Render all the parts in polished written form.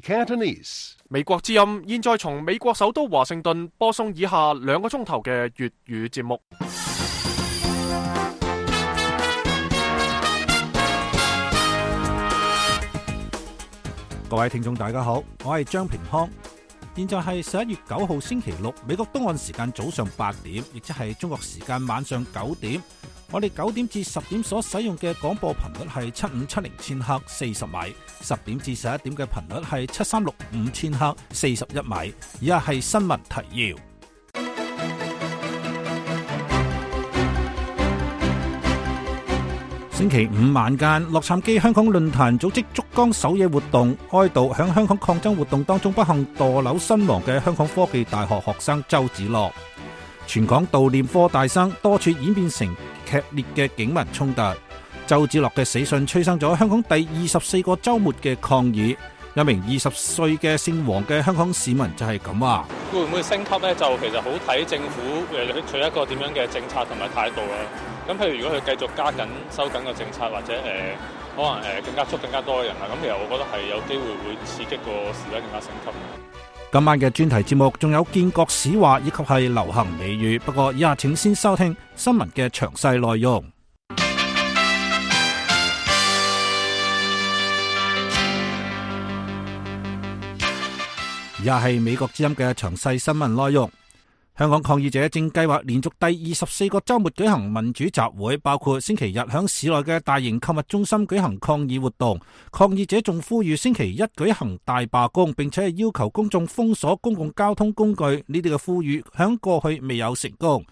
Cantonese. 美國之音現在從美國首都華盛頓播送以下2個鐘頭嘅粵語節目。各位聽眾大家好，我係張平康，現在係11月9號星期六，美國東岸時間早上8點，亦即係中國時間晚上9點。我哋9點至10點所使用嘅廣播頻率係7570千赫40米，10點至11點嘅頻率係7365千赫41米。以下係新聞提要。星期五晚間，洛杉磯香港論壇組織燭光守夜活動，哀悼響香港抗爭活動當中不幸墮樓身亡嘅香港科技大學學生周梓樂。全港悼念科大生，多處演變成劇烈嘅警民衝突。周梓樂嘅死訊催生咗香港第24個週末嘅抗議。一名20歲嘅姓黃嘅香港市民就係咁話：會唔會升級呢？就其實好睇政府取一個點樣嘅政策同埋態度啦。咁譬如如果佢繼續加緊收緊個政策，或者可能更加捉更加多嘅人啦，咁其實我覺得係有機會會刺激個示威更加升級。今晚嘅專題節目仲有建國史話以及係流行美語，不過以下請先收聽新聞嘅詳細內容。以下係美國之音嘅詳細新聞內容。香港抗議者正計劃連續第24個週末舉行民主集會，包括星期日響市內嘅大型購物中心舉行抗議活動。抗議者仲呼籲星期一舉行大罷工，並且係要求公眾封鎖公共交通工具。呢啲嘅呼籲響過去未有成功。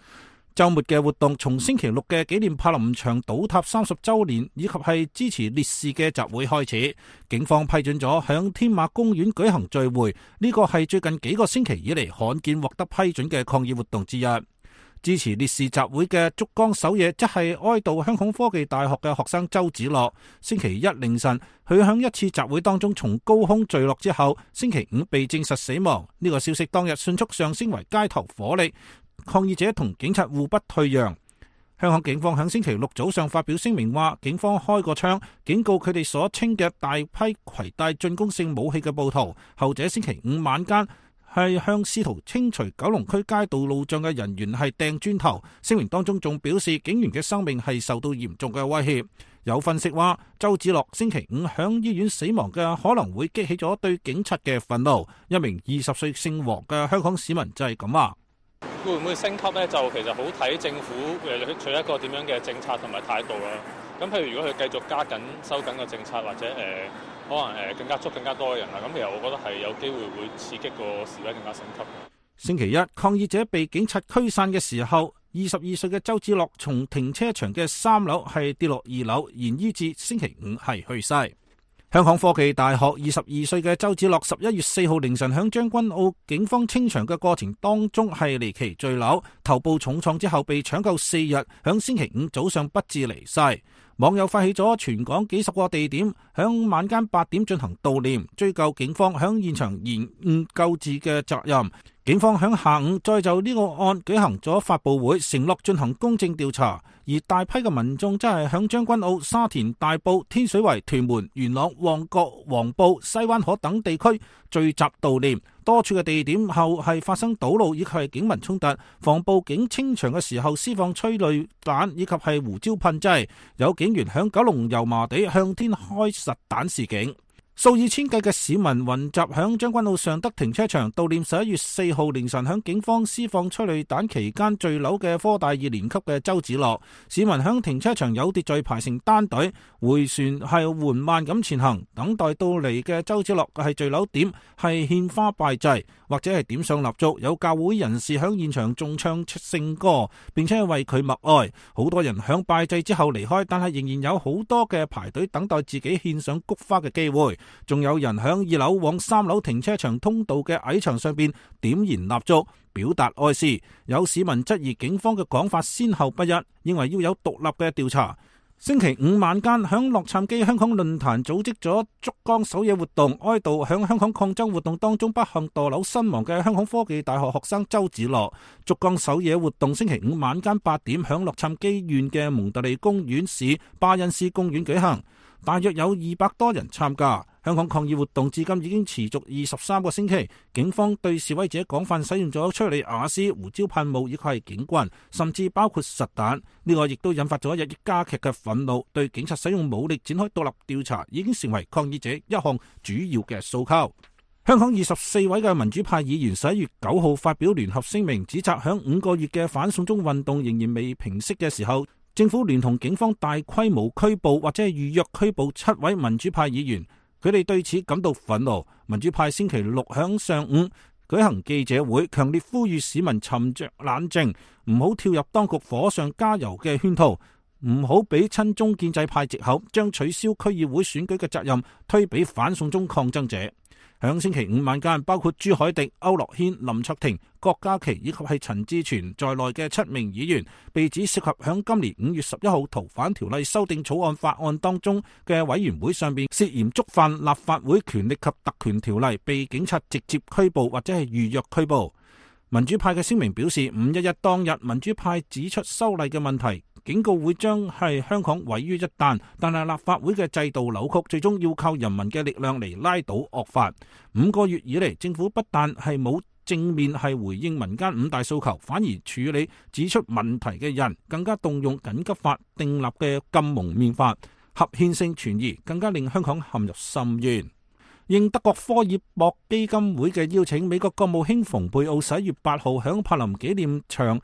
週末嘅活動從星期六嘅紀念柏林牆倒塌30週年以及係支持烈士嘅集會開始。警方批准咗響天馬公園舉行聚會，呢個係最近幾個星期以嚟罕見獲得批准嘅抗議活動之一。支持烈士集會嘅燭光守夜，即係哀悼香港科技大學嘅學生周梓樂。星期一凌晨，佢響一次集會當中從高空墜落之後，星期五被證實死亡。呢個消息當日迅速上升為街頭火力。抗議者同警察互不退讓。香港警方喺星期六早上發表聲明話，警方開過槍警告佢哋所稱嘅大批攜帶進攻性武器嘅暴徒。後者星期五晚間係向試圖清除九龍區街道路障嘅人員係掟磚頭。聲明當中仲表示，警員嘅生命係受到嚴重嘅威脅。有分析話，周梓樂星期五響醫院死亡嘅可能會激起咗對警察嘅憤怒。一名20歲姓黃嘅香港市民就係咁話。會唔會升級呢？就其實好睇政府取一個點樣嘅政策同埋態度啦。咁譬如如果佢繼續加緊收緊個政策，或者可能更加捉更加多嘅人啦，咁其實我覺得係有機會會刺激個示威更加升級。星期一，抗議者被警察驅散嘅時候，22歲嘅周梓樂從停車場嘅3樓係跌落2樓，延醫至星期五係去世。香港科技大學22歲嘅周梓樂11月4號凌晨響將軍澳警方清場嘅過程當中係離奇墜樓，頭部重創之後被搶救4日，響星期五早上不治離世。網友發起咗全港幾十個地點響晚間8點進行悼念，追究警方響現場延誤救治嘅責任。警方響下午再就呢個案舉行咗發佈會，承諾進行公正調查。而大批嘅民眾真係響將軍澳、沙田、大埔、天水圍、屯門、元朗、旺角、黃埔、西灣河等地區聚集悼念。多處嘅地點後係發生堵路以及係警民衝突，防暴警清場嘅時候施放催淚彈以及係胡椒噴劑，有警員響九龍油麻地向天開實彈示警。數以千計嘅市民雲集響將軍澳尚德停車場悼念11月4號凌晨響警方施放催淚彈期間墜樓嘅科大2年級嘅周梓樂。市民響停車場有秩序排成單隊，回旋係緩慢咁前行，等待到嚟嘅周梓樂係墜樓點係獻花拜祭，或者係點上蠟燭。有教會人士響現場仲唱聖歌，並且係為佢默哀。好多人響拜祭之後離開，但係仍然有好多嘅排隊等待自己獻上菊花嘅機會。仲有人響2樓往3樓停車場通道嘅矮牆上邊點燃蠟燭，表達哀思。有市民質疑警方嘅講法先後不一，認為要有獨立嘅調查。星期五晚間，響洛杉磯香港論壇組織咗燭光守夜活動，哀悼響香港抗爭活動當中不幸墮樓身亡嘅香港科技大學學生周梓樂。燭光守夜活動星期五晚間8點響洛杉磯縣嘅蒙特利公園市巴恩斯公園舉行，大約有200多人參加。香港抗議活動至今已經持續23個星期，警方對示威者廣泛使用咗催淚瓦斯、胡椒噴霧以及係警棍，甚至包括實彈。呢個亦都引發咗日益加劇嘅憤怒，對警察使用武力展開獨立調查已經成為抗議者一項主要嘅訴求。香港24位嘅民主派議員11月9號發表聯合聲明，指責響5個月嘅反送中運動仍然未平息嘅時候，政府聯同警方大規模拘捕或者係預約拘捕7位民主派議員，佢哋對此感到憤怒。民主派星期六響上午舉行記者會，強烈呼籲市民沉着冷靜，唔好跳入當局火上加油嘅圈套，唔好俾親中建制派藉口，將取消區議會選舉嘅責任推俾反送中抗爭者。響星期五晚間，包括朱凱廸、區諾軒、林卓廷、郭家麒以及係陳志全在內嘅7名議員，被指涉及響今年5月11號逃犯條例修訂草案法案當中嘅委員會上邊涉嫌觸犯立法會權力及特權條例，被警察直接拘捕或者係預約拘捕。民主派嘅聲明表示，511當日民主派指出修例嘅問題，警告會將係香港毀於一旦，但係立法會嘅制度扭曲，最終要靠人民嘅力量嚟拉倒惡法。5個月以嚟，政府不但係冇正面係回應民間5大訴求，反而處理指出問題嘅人，更加動用緊急法訂立嘅禁蒙面法，合憲性存疑，更加令香港陷入深淵。應德國科爾博基金會嘅邀請，美國國務卿蓬佩奧11月8號響柏林紀念場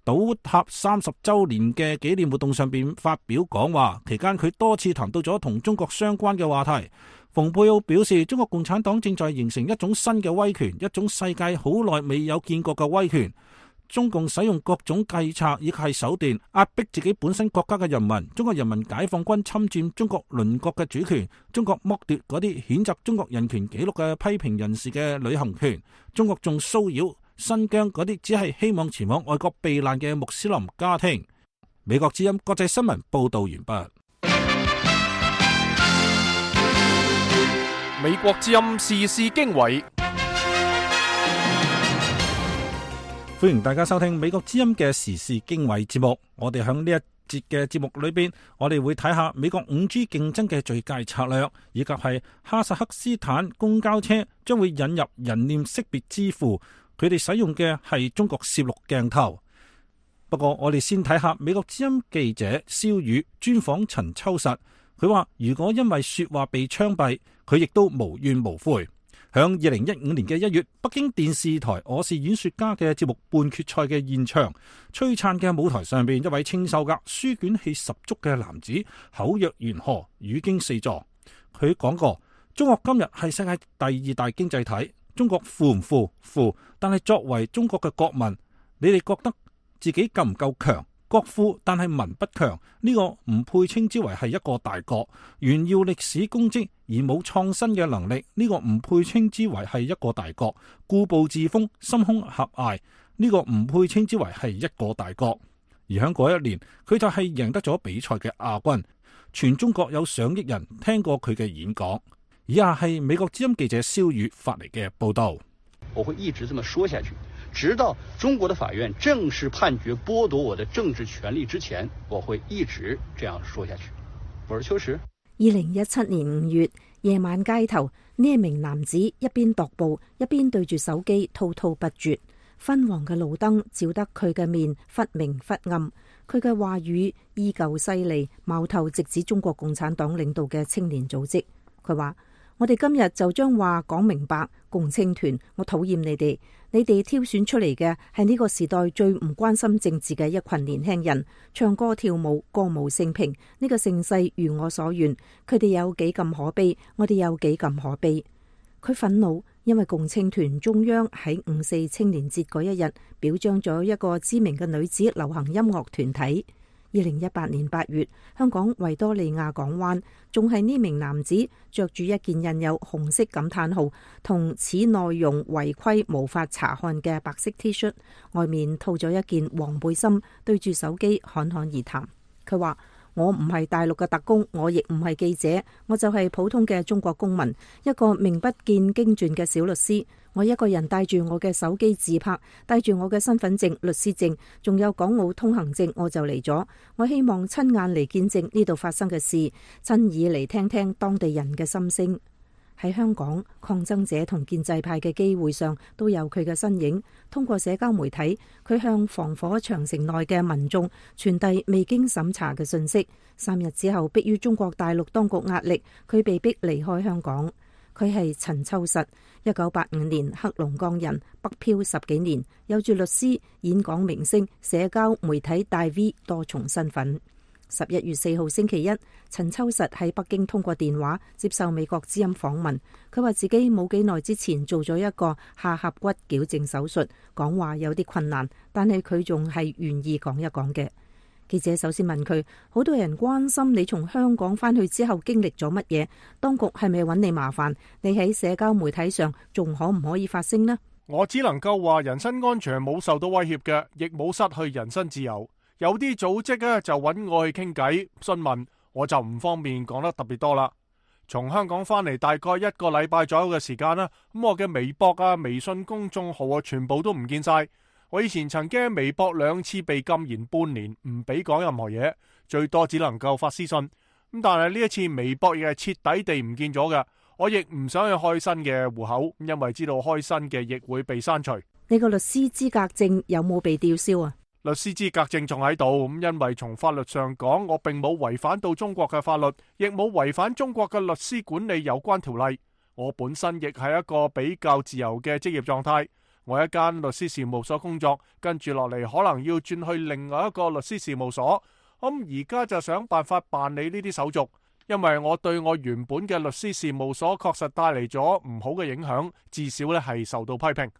倒塌30週年嘅紀念活動上邊發表講話，期間佢多次談到咗同中國相關嘅話題。蓬佩奧表示，中國共產黨正在形成一種新嘅威權，一種世界好耐未有見過嘅威權。中共使用各種計策以及係手段壓迫自己本身國家嘅人民。中國人民解放軍侵佔中國鄰國嘅主權，中國剝奪嗰啲譴責中國人權紀錄嘅批評人士嘅旅行權，中國仲騷擾新疆嗰啲只係希望前往外國避難嘅穆斯林家庭。美國之音國際新聞報道完畢。美國之音時事經緯，歡迎大家收聽美國之音嘅時事經緯節目。我哋響呢一節嘅節目裏邊，我哋會睇下美國 5G 競爭嘅最佳策略，以及係哈薩克斯坦公交車將會引入人臉識別支付，佢哋使用嘅係中國攝錄鏡頭。不過我哋先睇下美國之音記者蕭宇專訪陳秋實，佢話如果因為說話被槍斃，佢亦都無怨無悔。響2015年嘅1月，北京電視台《我是演說家》嘅節目半決賽嘅現場，璀璨嘅舞台上邊，一位清秀格、書卷氣十足嘅男子口若懸河，語驚四座。佢講過，中國今日係世界第2大經濟體，中國富唔富？富，但係作為中國嘅國民，你哋覺得自己夠唔夠強？國富但係民不強，呢個唔配稱之為係一個大國。炫耀歷史功績而冇創新嘅能力，呢個唔配稱之為係一個大國。固步自封、心胸狹隘，呢個唔配稱之為係一個大國。而喺嗰一年，佢就係贏得咗比賽嘅亞軍。全中國有上億人聽過佢嘅演講。以下係美國之音記者蕭宇發嚟嘅報道。我會一直這麼說下去，直到中國的法院正式判決剝奪我的政治權利之前，我會一直這樣說下去。我是秋實。2017年5月夜晚街頭，呢一名男子一邊踱步，一邊對住手機滔滔不絕。昏黃嘅路燈照得佢嘅面忽明忽暗，佢嘅話語依舊犀利，矛頭直指中國共產黨領導嘅青年組織。佢話：我哋今日就將話講明白，共青團，我討厭你哋，你哋挑選出嚟嘅係呢個時代最唔關心政治嘅一群年輕人，唱歌跳舞，歌舞升平，呢個盛世如我所願，佢哋有幾咁可悲，我哋有幾咁可悲。佢憤怒，因為共青團中央喺5·4青年節嗰一日表彰咗一個知名嘅女子流行音樂團體。2018年8月，香港維多利亞港灣仲係呢名男子着住一件印有紅色感嘆號同此內容違規無法查看嘅白色 T 恤，外面套咗一件黃背心，對住手機侃侃而談。佢話：我唔係大陸嘅特工，我亦唔係記者，我就係普通嘅中國公民，一個名不見經傳嘅小律師。我一個人帶住我嘅手機自拍，帶住我嘅身份證、律師證，仲有港澳通行證，我就嚟咗。我希望親眼嚟見證呢度發生嘅事，親耳嚟聽聽當地人嘅心聲。喺香港，抗爭者同建制派嘅機會上都有佢嘅身影。通過社交媒體，佢向防火長城內嘅民眾傳遞未經審查嘅信息。3日之後，迫於中國大陸當局壓力，佢被逼離開香港。佢係陳秋實，1985年黑龍江人，北漂10幾年，有住律師、演講明星、社交媒體大 V 多重身份。11月4號星期一，陳秋實喺北京通過電話接受美國之音訪問。佢話自己冇幾耐之前做咗一個下頜骨矯正手術，講話有啲困難，但係佢仲係願意講一講嘅。記者首先問佢，好多人關心你從香港返去之後經歷咗乜嘢，當局係咪揾你麻煩？你喺社交媒體上仲可唔可以發聲呢？我只能夠話人身安全冇受到威脅嘅，亦冇失去人身自由。有啲組織咧就揾我去傾偈詢問，我就唔方便講得特別多啦。從香港翻嚟大概1個禮拜左右嘅時間啦，咁我嘅微博啊、微信公眾號啊，全部都唔見晒。我以前曾經喺微博2次被禁言半年，唔俾講任何嘢，最多只能夠發私信。咁但係呢一次微博亦係徹底地唔見咗嘅，我亦唔想去開新嘅戶口，因為知道開新嘅亦會被刪除。你個律師資格證有冇被吊銷啊？律師資格證仲喺度，咁因為從法律上講，我並冇違反到中國嘅法律，亦冇違反中國嘅律師管理有關條例。我本身亦係一個比較自由嘅職業狀態。我喺一間律師事務所工作，跟住落嚟可能要轉去另外一個律師事務所。咁而家就想辦法辦理呢啲手續，因為我對我原本嘅律師事務所確實帶嚟咗唔好嘅影響，至少咧係受到批評。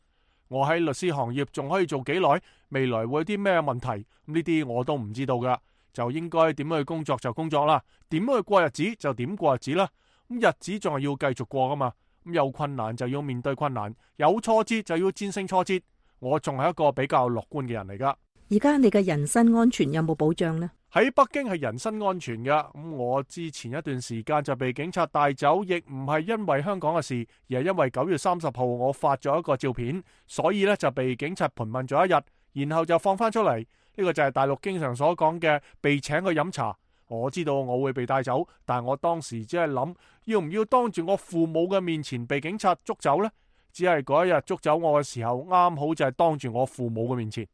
我喺律師行業仲可以做幾耐？未來會有啲咩問題？呢啲我都唔知道噶，就應該點樣去工作就工作啦，點樣去過日子就點過日子啦。咁日子仲係要繼續過噶嘛。咁有困難就要面對困難，有挫折就要戰勝挫折。我仲係一個比較樂觀嘅人嚟噶。而家你嘅人身安全有冇保障呢？喺北京係人身安全噶。咁我之前一段時間就被警察帶走，亦唔係因為香港嘅事，而係因為9月30號我發咗一個照片，所以呢就被警察盤問咗一日，然後就放翻出嚟。呢個就係大陸經常所講嘅被請去飲茶。我知道我會被帶走，但我當時只係諗，要唔要當住我父母嘅面前被警察捉走呢？只係嗰一日捉走我嘅時候，啱好就係當住我父母嘅面前。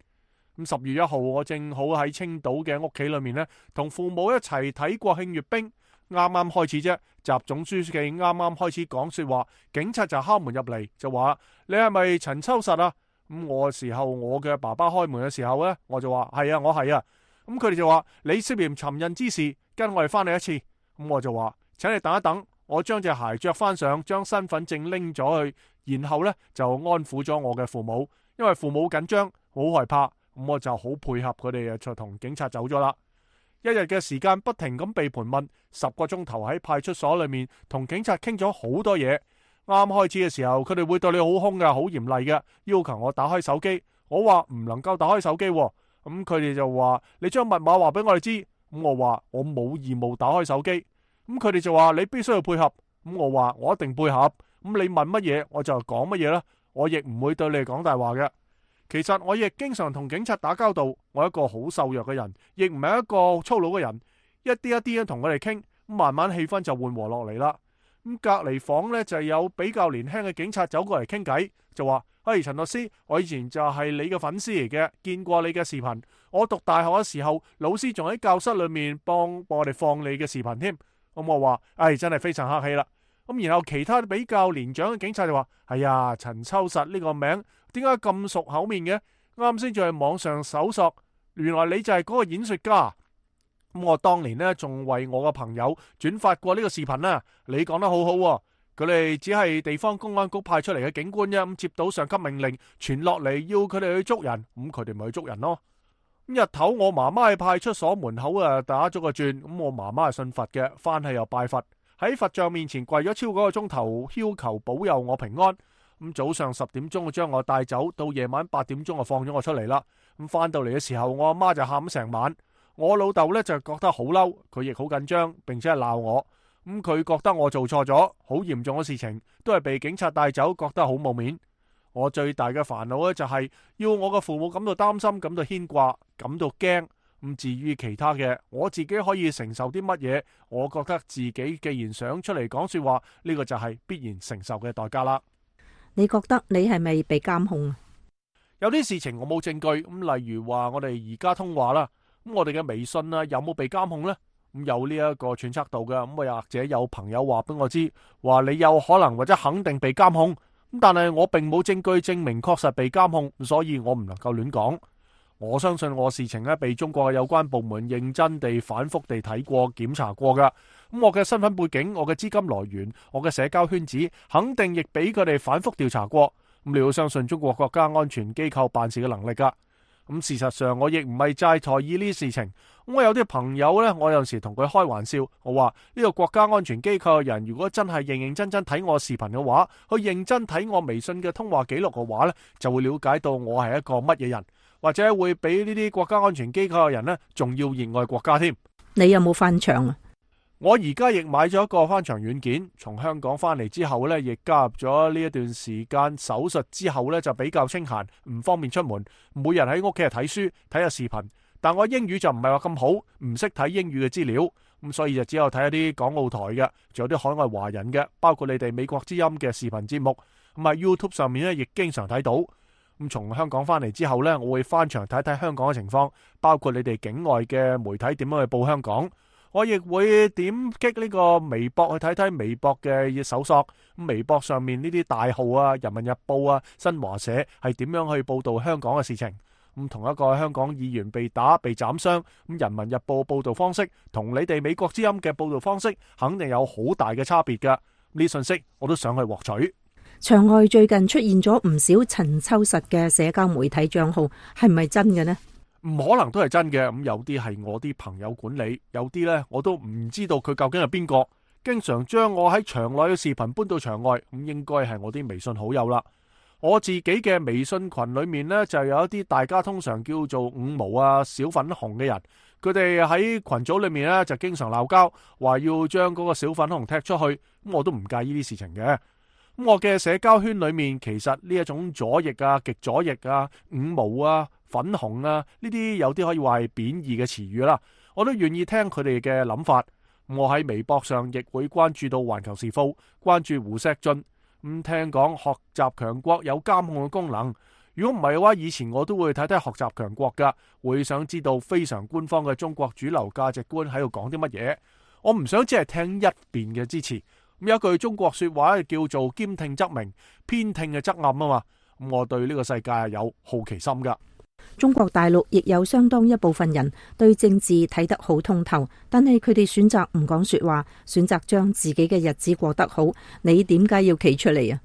咁10月1號，我正好喺青島嘅屋企裏面呢，同父母一齊睇國慶閱兵。啱啱開始啫，習總書記啱啱開始講說話，警察就敲門入嚟，就話：你係咪陳秋實啊？咁我時候，我嘅爸爸開門嘅時候呢，我就話：係啊，我係啊。咁佢哋就話：你涉嫌尋釁之事，跟我哋翻嚟一次。咁我就話：請你等一等，我將隻鞋着翻上，將身份證拎咗去，然後呢就安撫咗我嘅父母，因為父母緊張，好害怕。咁我就好配合佢哋，就同警察走咗啦。1日嘅時間不停咁被盤問，10個鐘頭喺派出所裏面同警察傾咗好多嘢。啱開始嘅時候，佢哋會對你好兇嘅，好嚴厲嘅，要求我打開手機。我話唔能夠打開手機。咁佢哋就話：你將密碼話俾我哋知。咁我話我冇義務打開手機。咁佢哋就話：你必須要配合。咁我話我一定配合。咁你問乜嘢我就講乜嘢啦。我亦唔會對你講大話嘅。其實我亦經常同警察打交道。我係一個好瘦弱嘅人，亦唔係一個粗魯嘅人。一啲一啲同佢哋傾，咁慢慢氣氛就緩和落嚟啦。咁隔離房呢，就有比較年輕嘅警察走過嚟傾偈，就話：嘿，陳律師，我以前就係你嘅粉絲嚟嘅，見過你嘅視頻。我讀大學嘅時候，老師仲喺教室裏面幫我哋放你嘅視頻添。咁我話：真係非常客氣啦。咁然後其他比較年長嘅警察就話：係啊，陳秋實呢個名點解咁熟口面嘅？啱先就係網上搜索，原來你就係嗰個演說家。咁我當年呢，仲為我嘅朋友轉發過呢個視頻啊。你講得好好喎。佢哋只係地方公安局派出嚟嘅警官啫，咁接到上級命令傳落嚟要佢哋去捉人，咁佢哋咪去捉人咯。咁日頭我媽媽喺派出所門口打咗個轉，咁我媽媽係信佛嘅，翻去又拜佛，喺佛像面前跪咗超過1個鐘頭，要求保佑我平安。咁早上10點鐘將我帶走，到夜晚8點鐘就放咗我出嚟啦。咁翻到嚟嘅時候，我阿媽就喊成晚。我老豆呢就覺得好嬲，佢亦好緊張，並且係鬧我。咁佢覺得我做錯咗好嚴重嘅事情，都係被警察帶走，覺得好冇面。我最大嘅煩惱呢，就係要我嘅父母感到擔心，感到牽掛，感到驚。至於其他嘅，我自己可以承受啲乜嘢？我覺得自己既然想出嚟講說話，呢個就係必然承受嘅代價啦。你覺得你係咪被監控啊？有啲事情我冇證據，例如話我哋而家通話啦，我哋嘅微信啊有冇被監控呢？有呢一個揣測度嘅，又或者有朋友話俾我知，話你有可能或者肯定被監控，但係我並冇證據證明確實被監控，所以我唔能夠亂講。我相信我事情被中國嘅有關部門認真地、反覆地睇過、檢查過噶。我嘅身份背景、我嘅資金來源、我嘅社交圈子，肯定亦俾佢哋反覆調查過。你要相信中國國家安全機構辦事嘅能力噶。事實上我亦唔係齋在意呢啲事情。我有啲朋友呢，我有時同佢開玩笑，我話呢個國家安全機構嘅人，如果真係認認真真睇我視頻嘅話，去認真睇我微信嘅通話記錄嘅話呢，就會了解到我係一個乜嘢人。或者會比呢啲國家安全機構嘅人呢，仲要熱愛國家添。你有冇翻牆啊？我而家亦買咗一個翻牆軟件，從香港翻嚟之後呢，亦加入咗呢一段時間手術之後呢，就比較清閒，唔方便出門，每日喺屋企睇書睇下視頻。但我英語就唔係話咁好，唔識睇英語嘅資料，所以就只有睇一啲港澳台嘅，仲有啲海外華人嘅，包括你哋美國之音嘅視頻節目，喺 YouTube 上面呢，亦經常睇到。從香港翻嚟之後呢，我會翻牆睇睇香港嘅情況，包括你哋境外嘅媒體點樣去報香港。我亦會點擊呢個微博去睇睇微博嘅搜索，微博上面呢啲大號啊、人民日報啊、新華社係點樣去報道香港嘅事情。同一個香港議員被打被斬傷，人民日報報道方式同你哋美國之音嘅報道方式肯定有好大嘅差別㗎。呢信息我都想去獲取。場外最近出現咗唔少陳秋實嘅社交媒體賬號，係唔係真嘅呢？唔可能都係真嘅，有啲係我啲朋友管理，有啲呢我都唔知道佢究竟係邊個，經常將我喺場內嘅視頻搬到場外，應該係我啲微信好友啦。我自己嘅微信群裏面呢，就有一啲大家通常叫做五毛啊、小粉紅嘅人，佢哋喺群組裏面呢，就經常鬧交，話要將嗰個小粉紅踢出去，我都唔介意呢啲事情嘅。我嘅社交圈裏面，其實呢一種左翼啊、極左翼啊、五毛啊、粉紅啊，呢啲有啲可以話係貶義嘅詞語啦，我都願意聽佢哋嘅諗法。我喺微博上亦會關注到環球時報，關注胡錫進。聽講學習強國有監控嘅功能，如果唔係嘅話，以前我都會睇睇學習強國噶，會想知道非常官方嘅中國主流價值觀喺度講啲乜嘢。我唔想只係聽一邊嘅支持。有一句中國說話叫做兼聽則明，偏聽嘅則暗啊嘛。我對呢個世界係有好奇心噶。中國大陸亦有相當一部分人對政治睇得好通透，但係佢哋選擇唔講說話，選擇將自己嘅日子過得好。你點解要企出嚟啊？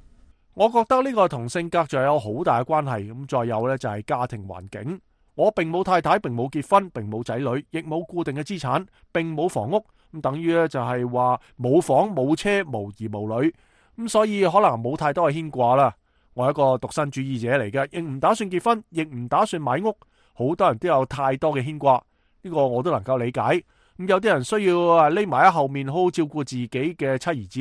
我覺得呢個同性格就有好大嘅關係。再有呢，就係家庭環境。我並冇太太，並冇結婚，並冇仔女，亦冇固定嘅資產，並冇房屋。等於咧就係話冇房冇車無兒無女，所以可能冇太多嘅牽掛啦。我係一個獨身主義者嚟嘅，亦唔打算結婚，亦唔打算買屋。好多人都有太多嘅牽掛，呢個我都能夠理解。有啲人需要匿埋喺後面好好照顧自己嘅妻兒子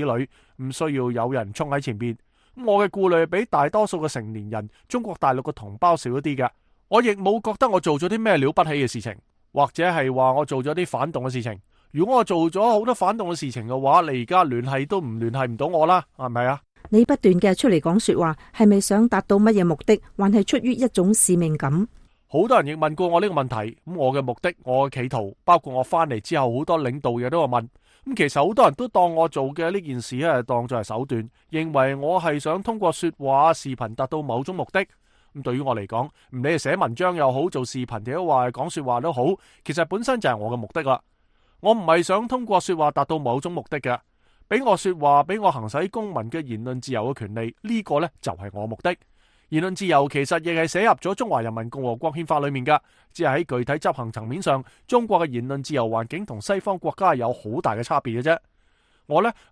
女，唔需要有人衝喺前邊。我嘅顧慮比大多數嘅成年人中國大陸嘅同胞少一啲嘅。我亦冇覺得我做咗啲咩了不起嘅事情，或者係話我做咗啲反動嘅事情。如果我做咗好多反動嘅事情嘅話，你而家聯繫都唔聯繫唔到我啦，係咪啊？你不斷嘅出嚟講說話，係咪想達到乜嘢目的，還係出於一種使命感？好多人亦問過我呢個問題，咁我嘅目的、我嘅企圖，包括我翻嚟之後，好多領導亦都有問。咁其實好多人都當我做嘅呢件事咧，當作係手段，認為我係想通過說話、視頻達到某種目的。咁對於我嚟講，唔理係寫文章又好，做視頻又好，講說話都好，其實本身就係我嘅目的啦。我唔係想通過說話達到某種目的嘅，俾我說話，俾我行使公民嘅言論自由嘅權利，呢個呢就係我目的。言論自由其實亦係寫入咗中華人民共和國憲法裏面噶，只係喺具體執行層面上，中國嘅言論自由環境同西方國家係有好大嘅差別嘅啫。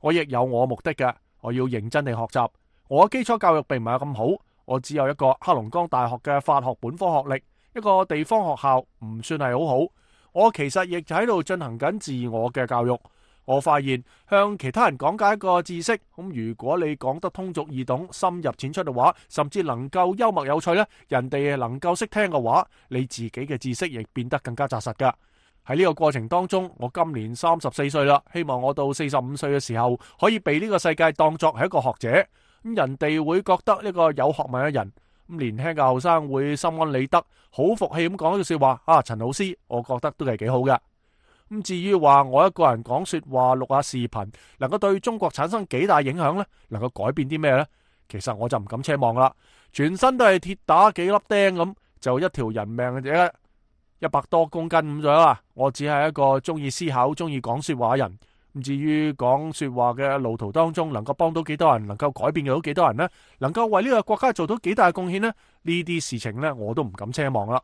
我亦有我目的嘅，我要認真地學習。我嘅基礎教育並唔係咁好，我只有一個黑龍江大學嘅法學本科學歷，一個地方學校唔算係好好。我其實亦喺度進行緊自我嘅教育，我發現向其他人講解一個知識，咁如果你講得通俗易懂、深入淺出嘅話，甚至能夠幽默有趣呢，人哋能夠識聽嘅話，你自己嘅知識亦變得更加紮實噶。喺呢個過程當中，我今年34歲啦，希望我到45歲嘅時候可以被呢個世界當作係一個學者，咁人哋會覺得呢個有學問嘅人，咁年輕嘅後生會心安理得，好服氣咁講一句說話啊，陳老師，我覺得都係幾好嘅。咁至於話我一個人講說話、錄下視頻，能夠對中國產生幾大影響呢？能夠改變啲咩呢？其實我就唔敢奢望啦。全身都係鐵打幾粒釘咁，就一條人命嘅100多公斤咁咗啦。我只係一個中意思考、中意講說話嘅人。咁至於講說話嘅路途當中，能夠幫到幾多人，能夠改變到幾多人呢？能夠為呢個國家做到幾大貢獻呢？呢啲事情呢，我都唔敢奢望啦。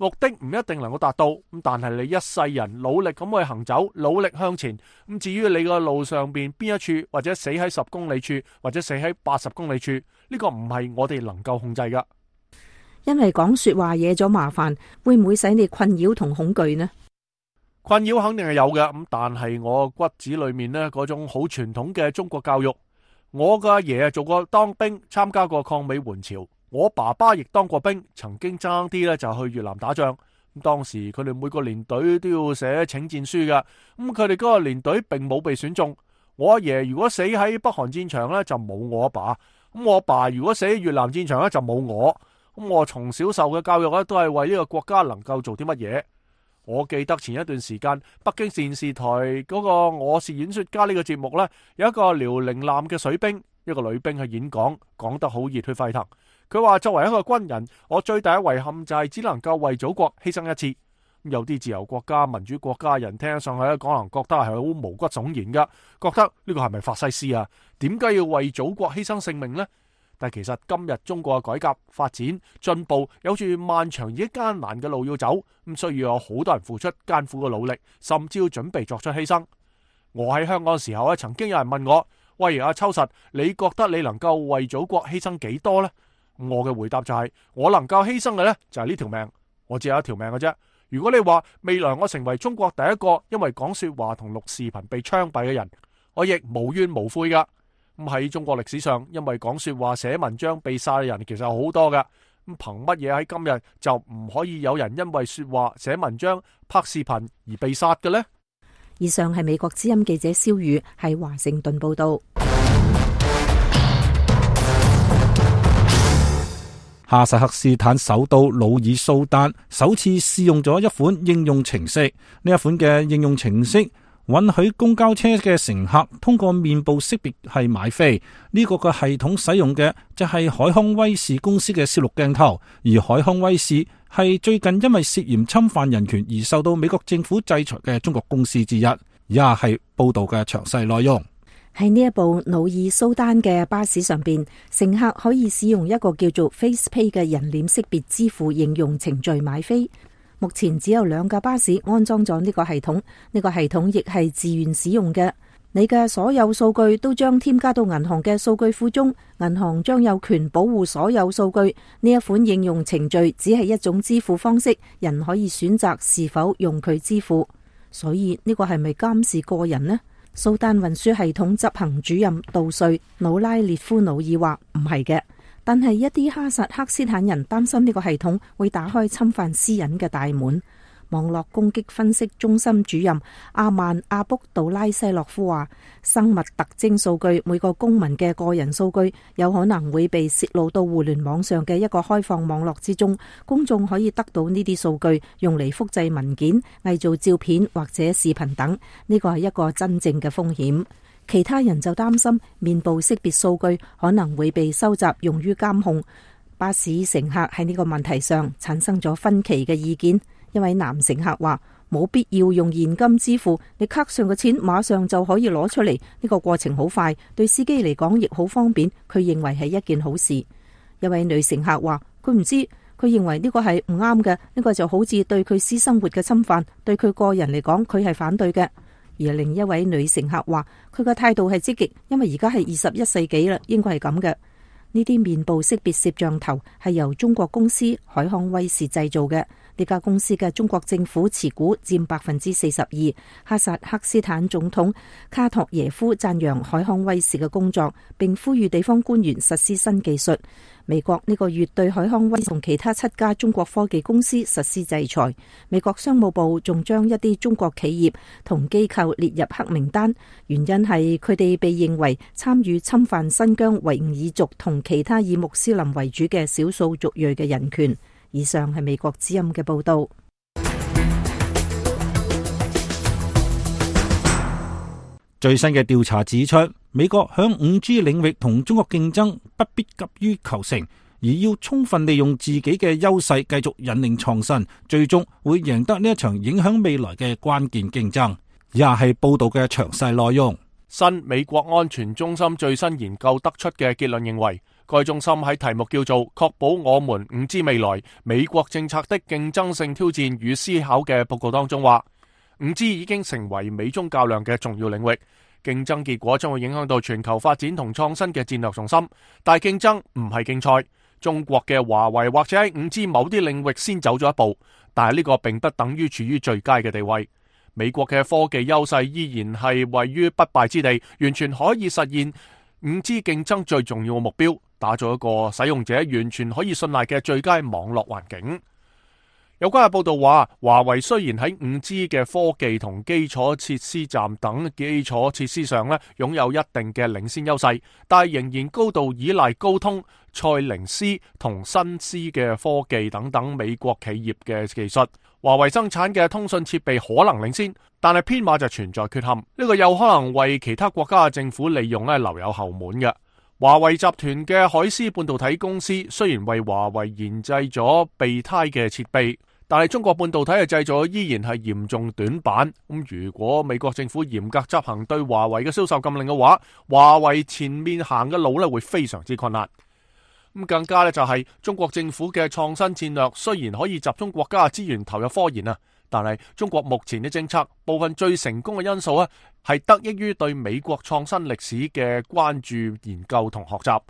目的唔一定能夠達到，咁但係你一世人努力咁去行走，努力向前。咁至於你個路上邊邊一處，或者死喺10公里處，或者死喺80公里處，呢個唔係我哋能夠控制噶。因為講說話惹咗麻煩，會唔會使你困擾同恐懼呢？困擾肯定係有嘅，咁但係我骨子裏面呢，嗰種好傳統嘅中國教育，我嘅阿爺做過當兵，參加過抗美援朝。我爸爸亦當過兵，曾經爭啲咧就去越南打仗。咁當時佢哋每個連隊都要寫請戰書噶，咁佢哋嗰個連隊並冇被選中。我阿爺如果死喺北韓戰場咧，就冇我阿爸；咁我阿爸如果死喺越南戰場咧，就冇我。咁我從小受嘅教育咧，都係為呢個國家能夠做啲乜嘢。我記得前一段時間，北京電視台嗰個《我是演說家》呢個節目咧，有一個遼寧艦嘅水兵，一個女兵去演講，講得好熱血沸騰。佢話作為一個軍人，我最大嘅遺憾就係只能夠為祖國犧牲一次。有啲自由國家、民主國家人聽上去咧，可能覺得係好毛骨悚然噶，覺得呢個係咪法西斯啊？點解要為祖國犧牲性命呢？但其實今日中國嘅改革發展進步，有住漫長而艱難嘅路要走，咁需要有好多人付出艱苦嘅努力，甚至要準備作出犧牲。我喺香港嘅時候咧，曾經有人問我：喂，阿秋實，你覺得你能夠為祖國犧牲幾多呢？我嘅回答就係，我能夠犧牲嘅呢，就係呢條命，我只有一條命嘅啫。如果你話未來我成為中國第一個因為講說話同錄視頻被槍斃嘅人，我亦無怨無悔噶。咁喺中國歷史上，因為講說話寫文章被殺嘅人其實好多噶。咁憑乜嘢喺今日就唔可以有人因為說話寫文章拍視頻而被殺嘅呢？以上係美國之音記者蕭宇喺華盛頓報道。哈薩克斯坦首都努爾蘇丹首次試用咗一款應用程式，呢一款嘅應用程式允許公交車嘅乘客通過面部識別係買飛。呢個嘅系統使用嘅就係海康威視公司嘅攝錄鏡頭，而海康威視係最近因為涉嫌侵犯人權而受到美國政府制裁嘅中國公司之一。以下係報道嘅詳細內容。喺呢一部努爾蘇丹嘅巴士上邊，乘客可以使用一個叫做 FacePay 嘅人臉識別支付應用程序買飛。目前只有2架巴士安裝咗呢個系統，呢個系統亦係自願使用嘅。你嘅所有數據都將添加到銀行嘅數據庫中，銀行將有權保護所有數據。呢一款應用程序只係一種支付方式，人可以選擇是否用佢支付。所以呢個係咪監視個人呢？蘇丹運輸系統執行主任杜瑞努拉列夫努爾話唔係嘅，但係一啲哈薩克斯坦人擔心呢個系統會打開侵犯私隱嘅大門。網絡攻擊分析中心主任阿曼阿卜杜拉西洛夫話，生物特徵數據，每個公民嘅個人數據有可能會被泄露到互聯網上嘅一個開放網絡之中，公眾可以得到呢啲數據，用嚟複製文件、偽造照片或者視頻等。呢個係一個真正嘅風險。其他人就擔心面部識別數據可能會被收集用於監控。巴士乘客喺呢個問題上產生咗分歧嘅意見。一位男乘客話，冇必要用現金支付，你卡上嘅錢馬上就可以攞出嚟，呢個過程好快，對司機嚟講亦好方便，佢認為係一件好事。一位女乘客話，佢唔知，佢認為呢個係唔啱嘅，呢個就好似對佢私生活嘅侵犯，對佢個人嚟講佢係反對嘅。而另一位女乘客話，佢嘅態度係積極，因為而家係21世紀啦，應該係咁嘅。呢啲面部識別攝像頭係由中國公司海康威視製造嘅。呢家公司嘅中國政府持股佔42%。哈薩克斯坦總統卡托耶夫讚揚海康威視嘅工作，並呼籲地方官員實施新技術。美國呢個月對海康威視同其他7家中國科技公司實施制裁。美國商務部仲將一啲中國企業同機構列入黑名單，原因係佢哋被認為參與侵犯新疆維吾爾族同其他以穆斯林為主嘅少數族裔嘅人權。以上係美國之音嘅報道。最新嘅調查指出，美國響 5G 領域同中國競爭不必急於求成，而要充分利用自己嘅優勢，繼續引領創新，最終會贏得呢一場影響未來嘅關鍵競爭。以下係報道嘅詳細內容。新美國安全中心最新研究得出嘅結論認為，該中心喺題目叫做《確保我們 5G 未來美國政策的競爭性挑戰與思考》嘅報告當中話，5G 已經成為美中較量嘅重要領域，競爭結果將會影響到全球發展同創新嘅戰略重心。但係競爭唔係競賽，中國嘅華為或者喺 5G 某啲領域先走咗一步，但係呢個並不等於處於最佳嘅地位。美國嘅科技優勢依然係位於不敗之地，完全可以實現 5G 競爭最重要嘅目標，打造一個使用者完全可以信賴嘅最佳網絡環境。有關嘅報道話，華為雖然喺 5G 嘅科技同基礎設施站等基礎設施上咧擁有一定嘅領先優勢，但係仍然高度依賴高通、賽靈思同新思嘅科技等等美國企業嘅技術。華為生產嘅通訊設備可能領先，但係編碼就存在缺陷，呢個有可能為其他國家嘅政府利用留有後門嘅。華為集團嘅海思半導體公司雖然為華為研製咗備胎嘅設備，但係中國半導體嘅製造依然係嚴重短板。咁如果美國政府嚴格執行對華為嘅銷售禁令嘅話，華為前面行嘅路會非常之困難。咁更加就係中國政府嘅創新戰略雖然可以集中國家嘅資源投入科研啊，但係中國目前嘅政策部分最成功嘅因素係得益於對美國創新歷史嘅關注研究同學習。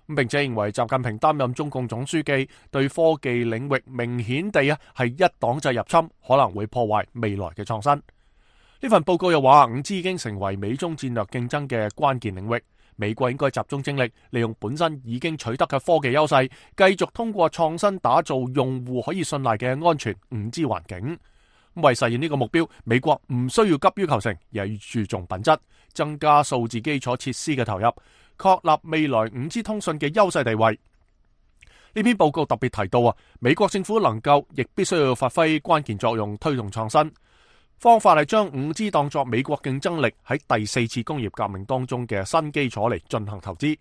並且認為習近平擔任中共總書記，對科技領域明顯地係一黨制入侵，可能會破壞未來嘅創新。呢份報告又話，5G 已經成為美中戰略競爭嘅關鍵領域，美國應該集中精力，利用本身已經取得嘅科技優勢，繼續通過創新打造用戶可以信賴嘅安全 5G 環境。為實現呢個目標，美國唔需要急於求成，而係要注重品質，增加數字基礎設施嘅投入，確立未來 5G 通訊嘅優勢地位。呢篇報告特別提到美國政府能夠亦必須要發揮關鍵作用，推動創新。方法係將 5G 當作美國競爭力喺第4次工業革命當中嘅新基礎嚟進行投資。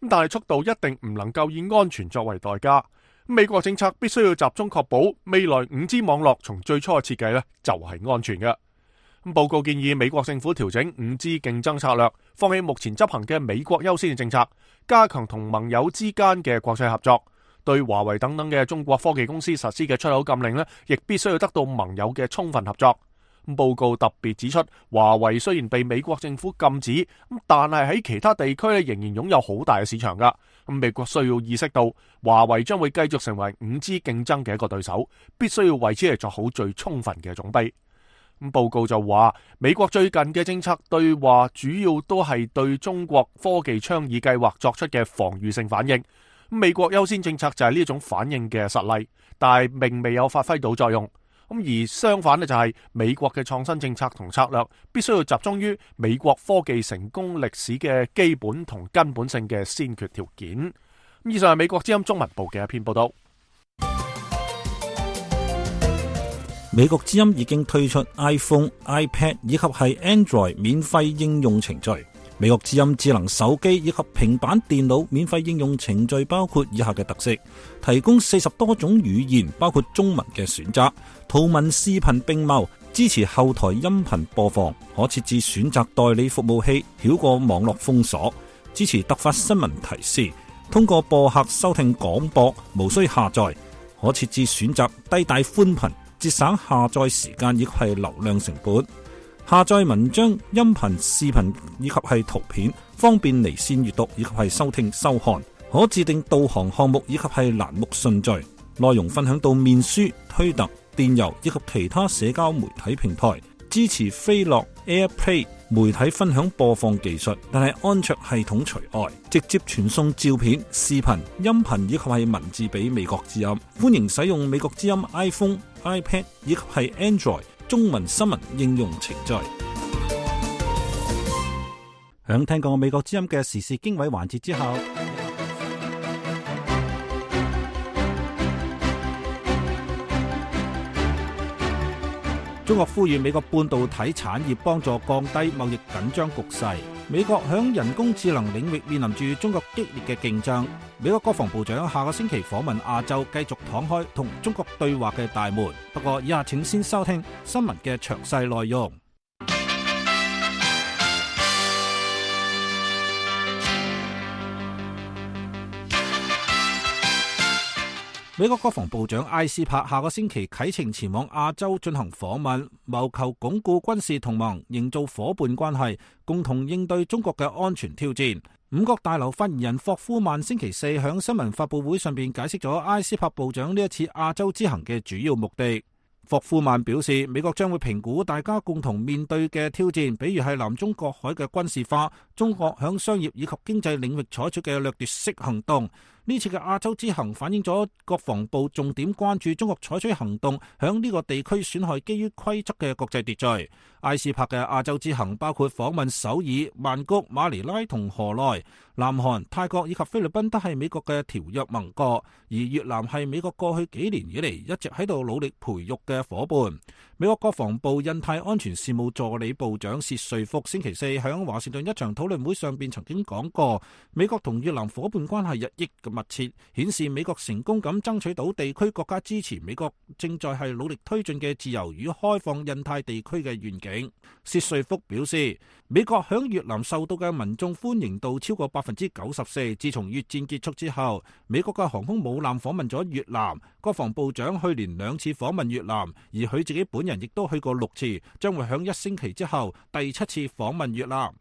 但係速度一定唔能夠以安全作為代價。美國政策必須要集中確保未來 5G 網絡從最初嘅設計就係安全嘅。報告建議美國政府調整 5G 競爭策略，放棄目前執行嘅美國優先嘅政策，加強同盟友之間嘅國際合作。對華為等等嘅中國科技公司實施嘅出口禁令亦必須要得到盟友嘅充分合作。報告特別指出，華為雖然被美國政府禁止，但係喺其他地區仍然擁有好大嘅市場噶。美國需要意識到，華為將會繼續成為 5G 競爭嘅一個對手，必須要為此嚟做好最充分嘅準備。報告就話，美國最近嘅政策對話主要都係對中國科技倡議計劃作出嘅防禦性反應。美國優先政策就係呢種反應嘅實例，但係並未有發揮到作用。而相反就係美國嘅創新政策同策略必須要集中於美國科技成功歷史嘅基本同根本性嘅先決條件。以上係美國之音中文部嘅一篇報道。美國之音已經推出 iPhone、iPad 以及係 Android 免費應用程序。美國之音智能手機以及平板電腦免費應用程序包括以下嘅特色：提供40多種語言，包括中文嘅選擇，圖文視頻並茂，支持後台音頻播放，可設置選擇代理服務器，繞過網絡封鎖，支持突發新聞提示，通過播客收聽廣播，無需下載，可設置選擇低帶寬頻，節省下載時間以及係流量成本。下載文章、音頻、視頻以及係圖片，方便離線閱讀以及係收聽收看。可自定導航項目以及係欄目順序，內容分享到面書、推特、電郵以及其他社交媒體平台，支持飛樂 AirPlay 媒體分享播放技術，但係安卓系統除外，直接傳送照片、視頻、音頻以及係文字俾美國之音。歡迎使用美國之音 iPhone、iPad 以及係 Android 中文新聞應用程序。響聽過美國之音嘅時事經緯環節之後，中國呼籲美國半導體產業幫助降低貿易緊張局勢。美國響人工智能領域面臨住中國激烈嘅競爭。美國國防部長下個星期訪問亞洲，繼續敞開同中國對話嘅大門。不過以下請先收聽新聞嘅詳細內容。美國國防部長艾斯珀下個星期啟程前往亞洲進行訪問，謀求鞏固軍事同盟，營造伙伴關係，共同應對中國嘅安全挑戰。五角大樓發言人霍夫曼星期四響新聞發佈會上邊解釋咗艾斯珀部長呢一次亞洲之行嘅主要目的。霍夫曼表示，美國將會評估大家共同面對嘅挑戰，比如係南中國海嘅軍事化，中國響商業以及經濟領域採取嘅掠奪式行動。呢次嘅亞洲之行反映咗國防部重點關注中國採取行動響呢個地區損害基於規則嘅國際秩序。艾斯珀嘅亞洲之行包括訪問首爾、曼谷、馬尼拉同河內。南韓、泰國以及菲律賓都係美國嘅條約盟國，而越南係美國過去幾年以嚟一直喺度努力培育嘅伙伴。美國國防部印太安全事務助理部長薛瑞福星期四響華盛頓一場討論會上邊曾經講過，美國同越南伙伴關係日益嘅密切，顯示美國成功咁爭取到地區國家支持美國正在係努力推進嘅自由與開放印太地區嘅願景。薛瑞福表示，美國響越南受到嘅民眾歡迎度超過94%。自從越戰結束之後，美國嘅航空母艦訪問咗越南，國防部長去年2次訪問越南，而佢自己本人亦都去過6次，將會響1星期之後第7次訪問越南。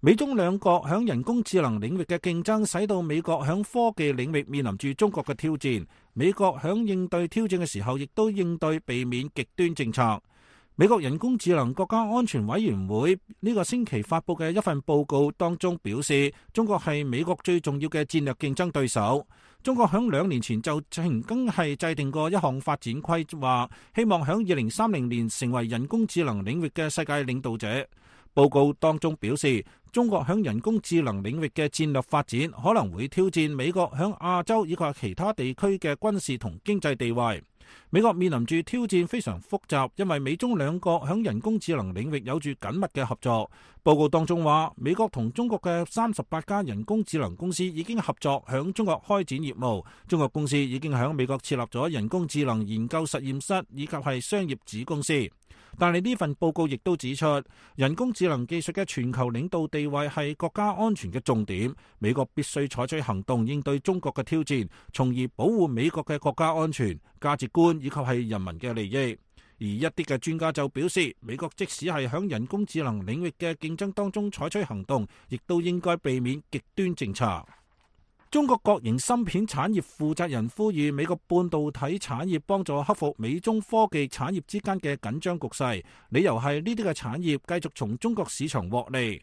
美中兩國響人工智能領域嘅競爭，使到美國響科技領域面臨住中國嘅挑戰。美國響應對挑戰嘅時候，亦都應對避免極端政策。美國人工智能國家安全委員會呢個星期發佈嘅一份報告當中表示，中國係美國最重要嘅戰略競爭對手。中國響2年前就曾經係制定過一項發展規劃，希望響2030年成為人工智能領域嘅世界領導者。報告當中表示，中國響人工智能領域嘅戰略發展可能會挑戰美國響亞洲以及其他地區嘅軍事同經濟地位。美國面臨住挑戰非常複雜，因為美中兩國響人工智能領域有住緊密嘅合作。報告當中話，美國同中國嘅38家人工智能公司已經合作響中國開展業務，中國公司已經響美國設立咗人工智能研究實驗室以及係商業子公司。但係呢份報告亦都指出，人工智能技術嘅全球領導地位係國家安全嘅重點，美國必須採取行動應對中國嘅挑戰，從而保護美國嘅國家安全、價值觀以及係人民嘅利益。而一啲嘅專家就表示，美國即使係響人工智能領域嘅競爭當中採取行動，亦都應該避免極端政策。中國國營芯片產業負責人呼籲美國半導體產業幫助克服美中科技產業之間嘅緊張局勢，理由係呢啲嘅產業繼續從中國市場獲利。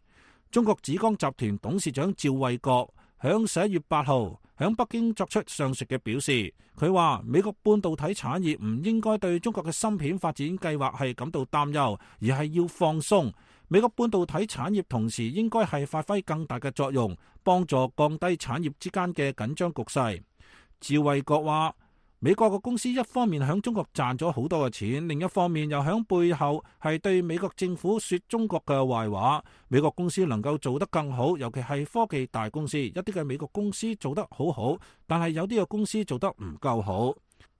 中國紫光集團董事長趙衛國響11月8號響北京作出上述嘅表示，佢話美國半導體產業唔應該對中國嘅芯片發展計劃係感到擔憂，而係要放鬆。美國半導體產業同時應該係發揮更大嘅作用，幫助降低產業之間嘅緊張局勢。趙衛國話，美國嘅公司一方面響中國賺咗好多嘅錢，另一方面又響背後係對美國政府說中國嘅壞話。美國公司能夠做得更好，尤其係科技大公司，一啲嘅美國公司做得好好，但係有啲嘅公司做得唔夠好。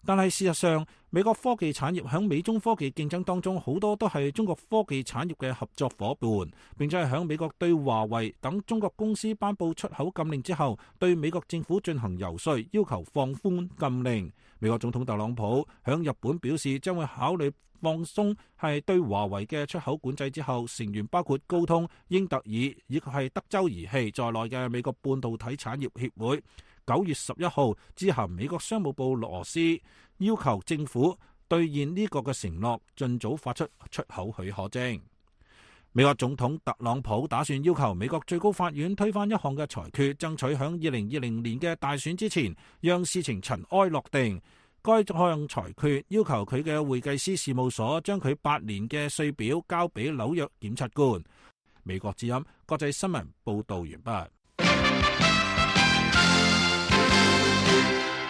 但係事實上，美國科技產業喺美中科技競爭當中，好多都係中國科技產業嘅合作夥伴，並且係喺美國對華為等中國公司頒布出口禁令之後，對美國政府進行游說，要求放寬禁令。美國總統特朗普喺日本表示，將會考慮放鬆係對華為嘅出口管制之後，成員包括高通、英特爾以及係德州儀器在內嘅美國半導體產業協會9月11號致函美國商務部羅斯，要求政府兌現呢個嘅承諾，盡早發出出口許可證。美國總統特朗普打算要求美國最高法院推翻一項嘅裁決，爭取喺2020年嘅大選之前讓事情塵埃落定。該項裁決要求佢嘅會計師事務所將佢8年嘅稅表交俾紐約檢察官。美國之音國際新聞報道完畢。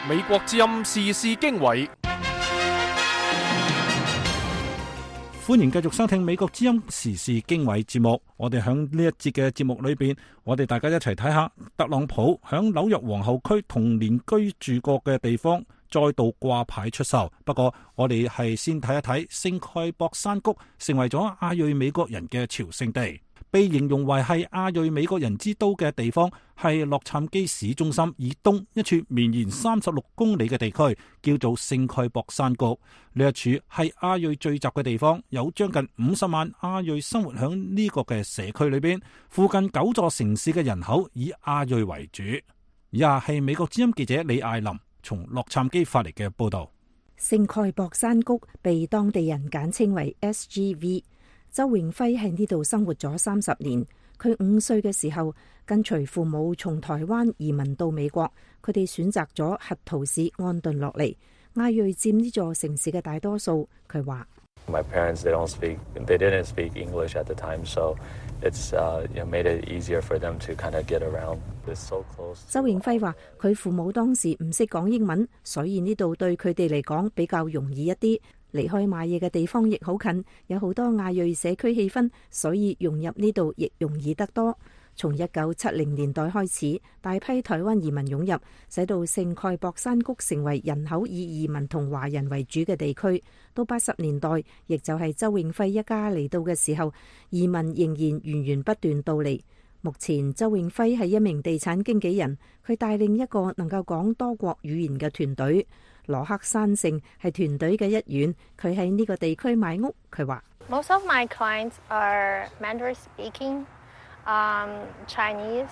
美國之音時事經緯，歡迎繼續收聽美國之音時事經緯節目。我哋喺呢一節嘅節目裏邊，我哋大家一齊睇下特朗普喺紐約皇后區童年居住過嘅地方再度掛牌出售。不過我哋係先睇一睇聖蓋博山谷成為咗亞裔美國人嘅朝聖地。被形容為係亞裔美國人之都嘅地方，係洛杉磯市中心以東一處綿延36公里嘅地區，叫做聖蓋博山谷。呢一處係亞裔聚集嘅地方，有將近50萬亞裔生活喺呢個嘅社區裏邊。附近9座城市嘅人口以亞裔為主。以下係美國之音記者李艾琳從洛杉磯發嚟嘅報道。聖蓋博山谷被當地人簡稱為 SGV。周永輝喺呢度生活咗30年。佢5歲嘅時候，跟隨父母從台灣移民到美國。佢哋選擇咗核桃市安頓落嚟。亞裔佔呢座城市嘅大多數。佢話：My parents they didn't speak English at the time, so it's made it easier for them to kind of get around. It's so close. 周永輝話：佢父母當時唔識講英文，所以呢度對佢哋嚟講比較容易一啲。離開買嘢嘅地方亦好近，有好多亞裔社區氣氛，所以融入呢度亦容易得多。從1970年代開始，大批台灣移民湧入，使到聖蓋博山谷成為人口以移民同華人為主嘅地區。到80年代，亦就係周永輝一家嚟到嘅時候，移民仍然源源不斷到嚟。目前周永輝係一名地產經紀人，佢帶領一個能夠講多國語言嘅團隊。羅克山城係團隊嘅一員，佢喺呢個地區買屋。佢話：Most of my clients are Mandarin speaking, Chinese,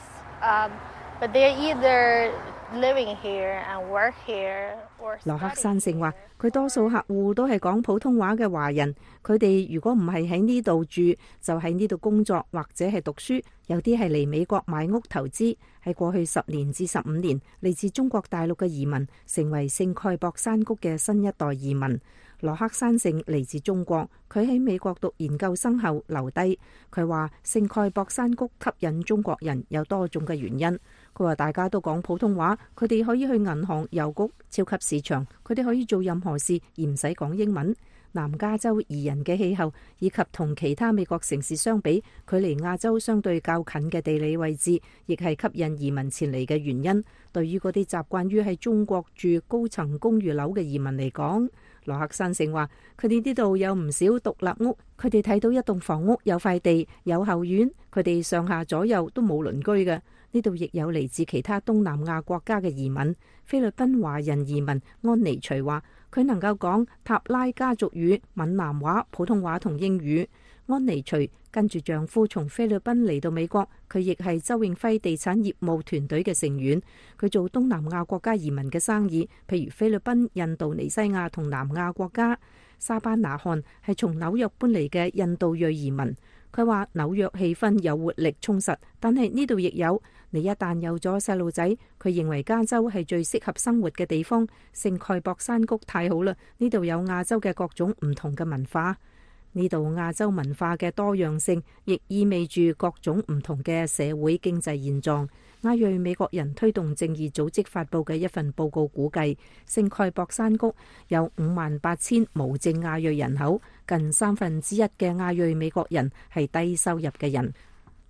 but they're either living here and work here or studying here. 羅克山城話：佢多數客戶都係講普通話嘅華人，佢哋如果唔係喺呢度住，就喺呢度工作或者係讀書。有啲係嚟美國買屋投資。喺過去10年至15年，嚟自中國大陸嘅移民成為聖蓋博山谷嘅新一代移民。羅克山城嚟自中國，佢喺美國讀研究生後留低。佢話聖蓋博山谷吸引中國人有多種嘅原因。佢話大家都講普通話，佢哋可以去銀行、郵局、超級市場，佢哋可以做任何事而唔使講英文。南加州宜人嘅氣候以及同其他美國城市相比，距離亞洲相對較近嘅地理位置，亦係吸引移民前嚟嘅原因。對於嗰啲習慣於喺中國住高層公寓樓嘅移民嚟講，羅克山城話佢哋呢度有唔少獨立屋，佢哋睇到一棟房屋有塊地有後院，佢哋上下左右都冇鄰居嘅。呢度亦有嚟自其他東南亞國家嘅移民。菲律賓華人移民安妮徐話佢能夠講塔拉加族語、閩南話、普通話同英語。安妮徐跟住丈夫從菲律賓嚟到美國，佢亦係周永輝地產業務團隊嘅成員。佢做東南亞國家移民嘅生意，譬如菲律賓、印度尼西亞同南亞國家。沙班拿漢係從紐約搬嚟嘅印度裔移民。佢話紐約氣氛有活力充實，但係呢度亦有。你一旦有咗細路仔，佢認為加州係最適合生活嘅地方。聖蓋博山谷太好啦，呢度有亞洲嘅各種唔同嘅文化。呢度亞洲文化嘅多樣性，亦意味住各種唔同嘅社會經濟現狀。亞裔美國人推動正義組織發佈嘅一份報告估計，聖蓋博山谷有58,000無證亞裔人口，近1/3嘅亞裔美國人係低收入嘅人。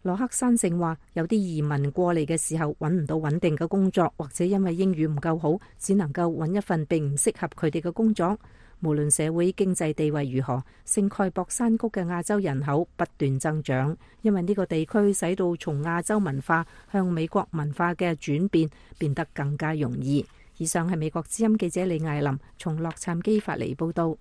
羅克山盛話，有啲移民過嚟嘅時候揾唔到穩定嘅工作，或者因為英語唔夠好，只能夠揾一份並唔適合佢哋嘅工作。無論社會經濟地位如何，聖蓋博山谷嘅亞洲人口不斷增長，因為呢個地區使到從亞洲文化向美國文化嘅轉變變得更加容易。以上係美國之音記者李艾琳從洛杉磯發嚟報道。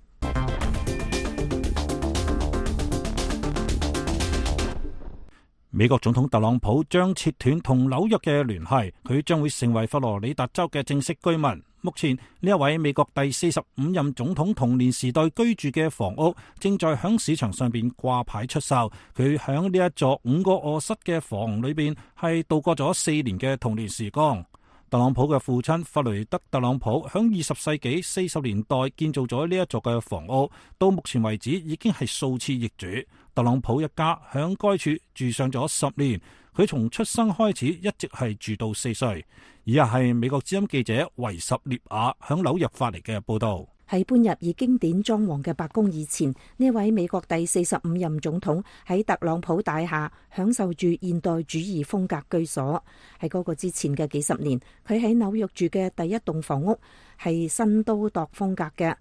美國總統特朗普將切斷同紐約嘅聯繫，佢將會成為佛羅里達州嘅正式居民。目前呢一位美國第45任總統童年時代居住嘅房屋正在響市場上邊掛牌出售。佢響呢一座5個臥室嘅房裏邊係度過咗4年嘅童年時光。特朗普嘅父親弗雷德特朗普響20世紀40年代建造咗呢一座嘅房屋，到目前為止已經係數次易主。特朗普一家響該處住上咗10年，佢從出生開始一直係住到4歲。以下係美國之音記者維什列亞響紐約發嚟嘅報道。喺搬入以經典裝潢嘅白宮以前，呢位美國第45任總統喺特朗普大廈享受住現代主義風格居所。喺嗰個之前嘅幾十年，佢喺紐約住嘅第一棟房屋係新都鐸風格嘅。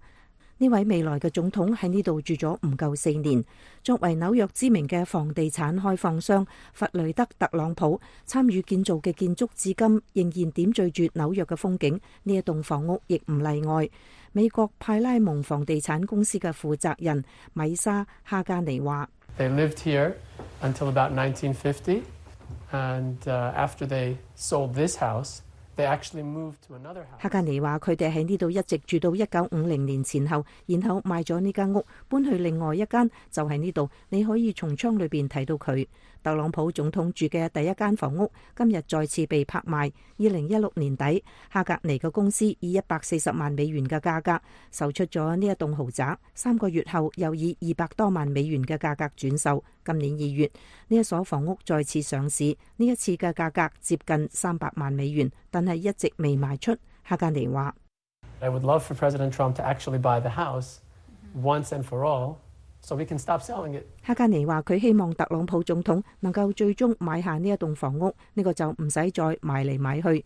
呢位未來嘅總統喺呢度住咗唔夠4年。作為紐約知名嘅房地產開放商，弗雷德特朗普參與建造嘅建築至今仍然點綴住紐約嘅風景。呢一棟房屋亦唔例外。美國派拉蒙房地產公司嘅負責人米莎哈加尼話：They lived here until about 1950, and after they sold this house, they actually moved to another house. 哈加尼話：佢哋喺呢度一直住到1950年前後，然後賣咗呢間屋，搬去另外一間，就喺呢度。你可以從窗裏邊睇到佢。特朗普總統住嘅第一間房屋今日再次被拍賣。2016年底，哈格尼嘅公司以140萬美元嘅價格售出咗呢一棟豪宅，3個月後又以200多萬美元嘅價格轉售。今年2月，呢一所房屋再次上市，呢一次嘅價格接近300萬美元，但係一直未賣出。哈格尼話：I would love for President Trump to actually buy the house once and for all.So we can stop selling it. 哈加尼話：佢希望特朗普總統能夠最終買下呢一棟房屋，呢個就唔使再買嚟買去。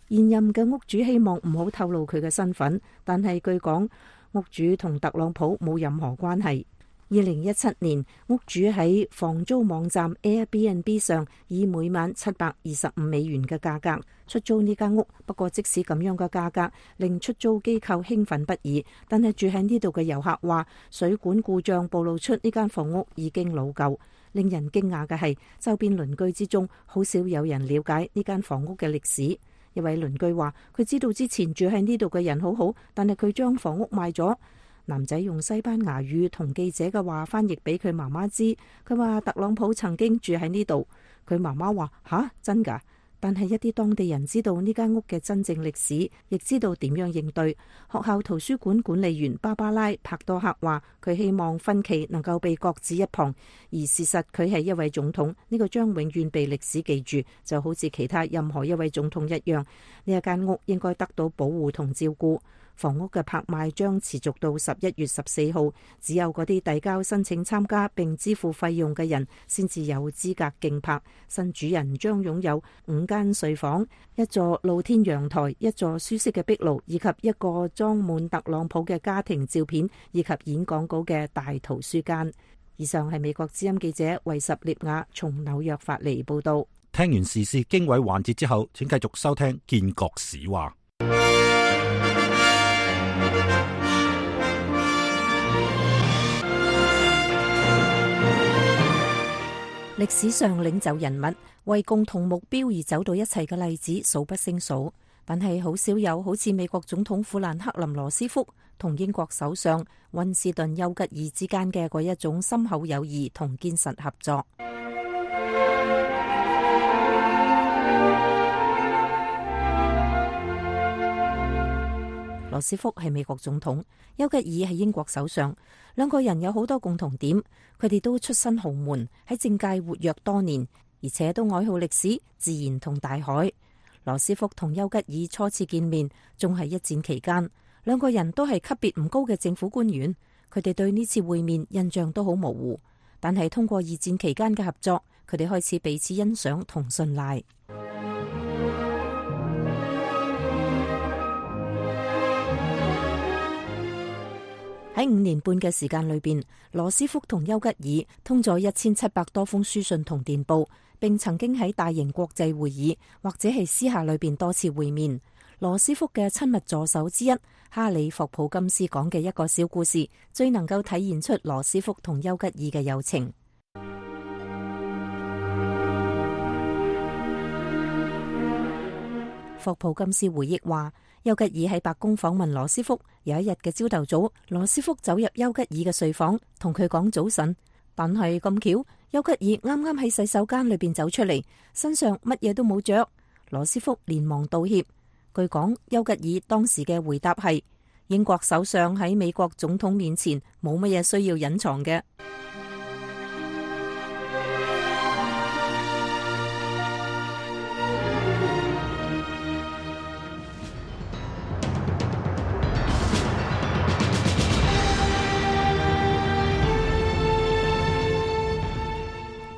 現任嘅屋主希望唔好透露佢嘅身份，但係據講，屋主同特朗普冇任何關係。2017年，屋主喺房租網站 Airbnb 上以每晚725美元嘅價格出租呢間屋。不過即使咁樣嘅價格令出租機構興奮不已，但係住喺呢度嘅遊客話水管故障暴露出呢間房屋已經老舊。令人驚訝嘅係，周邊鄰居之中好少有人了解呢間房屋嘅歷史。一位鄰居話：佢知道之前住喺呢度嘅人好好，但係佢將房屋賣咗。男仔用西班牙語同記者嘅話翻譯俾佢媽媽知，佢話特朗普曾經住喺呢度。佢媽媽話：吓，真㗎？但係一啲當地人知道呢間屋嘅真正歷史，亦知道點樣應對。學校圖書館管理員芭芭拉帕多克話：佢希望分歧能夠被擱置一旁，而事實佢係一位總統，呢個將永遠被歷史記住，就好似其他任何一位總統一樣。呢一間屋應該得到保護同照顧。房屋嘅拍賣將持續到11月14號，只有嗰啲遞交申請參加並支付費用嘅人先至有資格競拍。新主人將擁有5間睡房、一座露天陽台、一座舒適嘅壁爐，以及一個裝滿特朗普嘅家庭照片以及演講稿嘅大圖書間。以上係美國之音記者維什列亞從紐約發嚟報道。聽完時事經緯環節之後，請繼續收聽建國史話。歷史上領袖人物為共同目標而走到一齊嘅例子數不勝數，但係好少有好似美國總統富蘭克林羅斯福同英國首相溫斯頓丘吉爾之間嘅嗰一種深厚友誼同堅實合作。羅斯福係美國總統，丘吉爾係英國首相，兩個人有好多共同點，佢哋都出身豪門，喺政界活躍多年，而且都愛好歷史、自然同大海。羅斯福同丘吉爾初次見面仲係一戰期間，兩個人都係級別唔高嘅政府官員，佢哋對呢次會面印象都好模糊。但係通過二戰期間嘅合作，佢哋開始彼此欣賞同信賴。喺5年半嘅時間裏邊，羅斯福同丘吉爾通咗1700多封書信同電報，並曾經喺大型國際會議或者係私下裏邊多次會面。羅斯福嘅親密助手之一哈里霍普金斯講嘅一個小故事，最能夠體現出羅斯福同丘吉爾嘅友情。霍普金斯回憶話，丘吉爾喺白宮訪問羅斯福，有一日嘅朝頭早，羅斯福走入丘吉爾嘅睡房，同佢講早晨。但係咁巧，丘吉爾啱啱喺洗手間裏邊走出嚟，身上乜嘢都冇着。羅斯福連忙道歉。據講，丘吉爾當時嘅回答係：英國首相喺美國總統面前冇乜嘢需要隱藏嘅。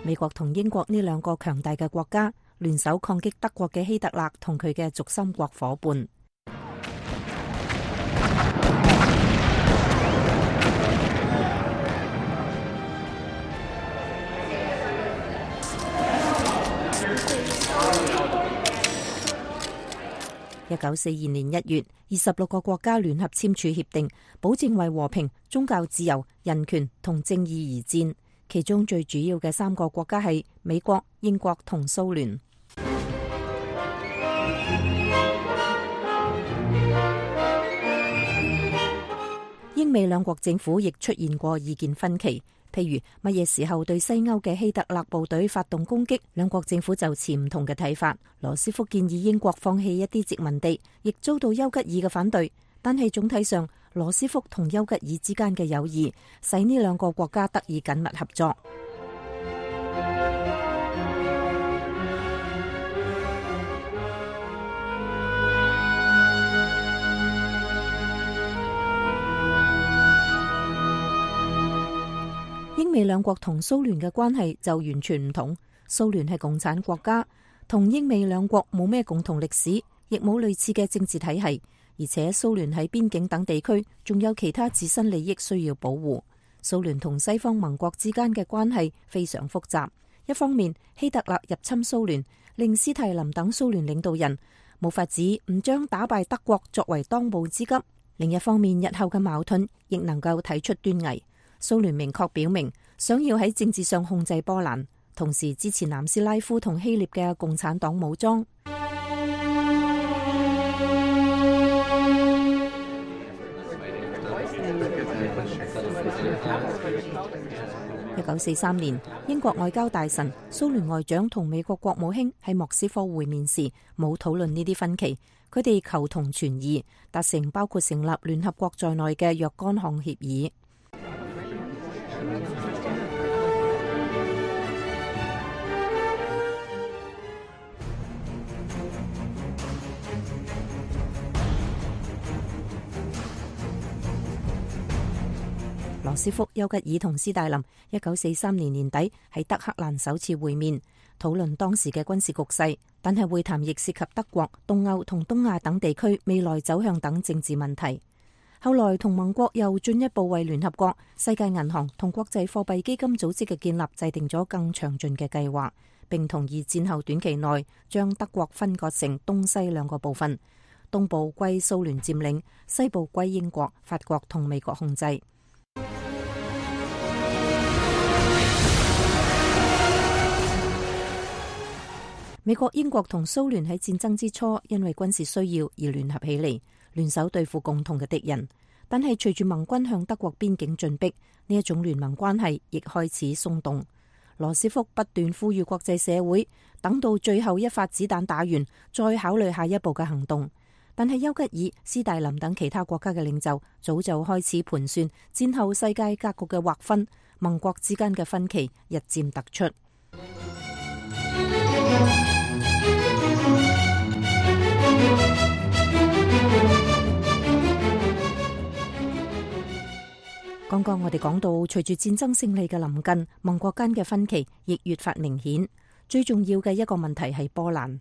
美國同英國呢兩個強大嘅國家聯手抗擊德國嘅希特勒同佢嘅軸心國夥伴。1942年1月，26個國家聯合簽署協定，保證為和平、宗教自由、人權同正義而戰。其中最主要嘅3個國家係美國、英國同蘇聯。英美兩國政府亦出現過意見分歧，譬如乜嘢時候對西歐嘅希特勒部隊發動攻擊，兩國政府就持唔同嘅睇法。羅斯福建議英國放棄一啲殖民地，亦遭到丘吉爾嘅反對。但係總體上，羅斯福同丘吉爾之間嘅友誼使呢兩個國家得以緊密合作。英美兩國同蘇聯嘅關係就完全唔同。蘇聯係共產國家，同英美兩國冇咩共同歷史，亦冇類似嘅政治體系。而且蘇聯喺邊境等地區仲有其他自身利益需要保護。蘇聯同西方盟國之間嘅關係非常複雜。一方面，希特勒入侵蘇聯，令斯大林等蘇聯領導人冇法子唔將打敗德國作為當務之急；另一方面，日後嘅矛盾亦能夠睇出端倪。蘇聯明確表明想要喺政治上控制波蘭，同時支持南斯拉夫同希臘嘅共產黨武裝。1943年，英國外交大臣、蘇聯外長同美國國務卿喺莫斯科會面時，冇討論呢啲分歧。佢哋求同存異，達成包括成立聯合國在內嘅若干項協議。羅斯福、丘吉爾同斯大林1943年年底喺德黑蘭首次會面，討論當時嘅軍事局勢，但係會談亦涉及德國、東歐同東亞等地區未來走向等政治問題。後來同盟國又進一步為聯合國、世界銀行同國際貨幣基金組織嘅建立制定咗更詳盡嘅計劃，並同意戰後短期內將德國分割成東西兩個部分，東部歸蘇聯佔領，西部歸英國、法國同美國控制。美國、英國同蘇聯喺戰爭之初因為軍事需要而聯合起嚟，聯手對付共同嘅敵人。但係隨住盟軍向德國邊境進逼，呢一種聯盟關係亦開始鬆動。羅斯福不斷呼籲國際社會等到最後一發子彈打完，再考慮下一步嘅行動。但係丘吉爾、斯大林等其他國家嘅領袖早就開始盤算戰後世界格局嘅劃分，盟國之間嘅分歧日漸突出。剛剛剛我哋講到，隨住戰爭勝利嘅臨近，盟國間嘅分歧亦越發明顯。最重要嘅一個問題係波蘭。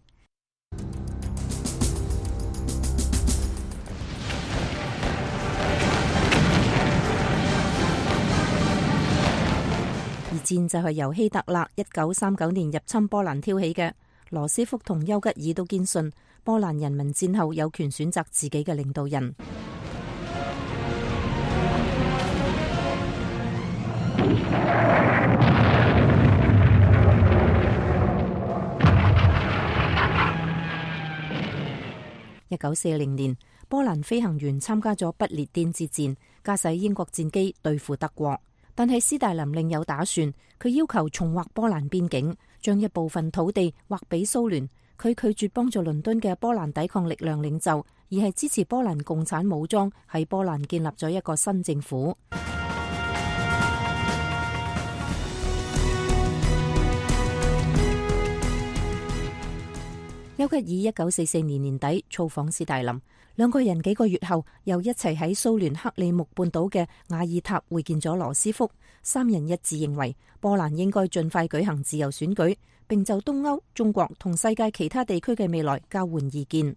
而戰就係由希特勒1939年入侵波蘭挑起嘅。羅斯福同丘吉爾都堅信波蘭人民戰後有權選擇自己嘅領導人。1940年，波蘭飛行員參加咗不列顛之戰，駕駛英國戰機對付德國。但係斯大林另有打算，佢要求重劃波蘭邊境，將一部分土地劃俾蘇聯。佢拒絕幫助倫敦嘅波蘭抵抗力量領袖，而係支持波蘭共產武裝喺波蘭建立咗一個新政府。丘吉爾1944年年底造訪斯大林，兩個人幾個月後又一齊喺蘇聯克里木半島嘅瓦爾塔會見咗羅斯福。三人一致認為波蘭應該盡快舉行自由選舉，並就東歐、中國同世界其他地區嘅未來交換意見。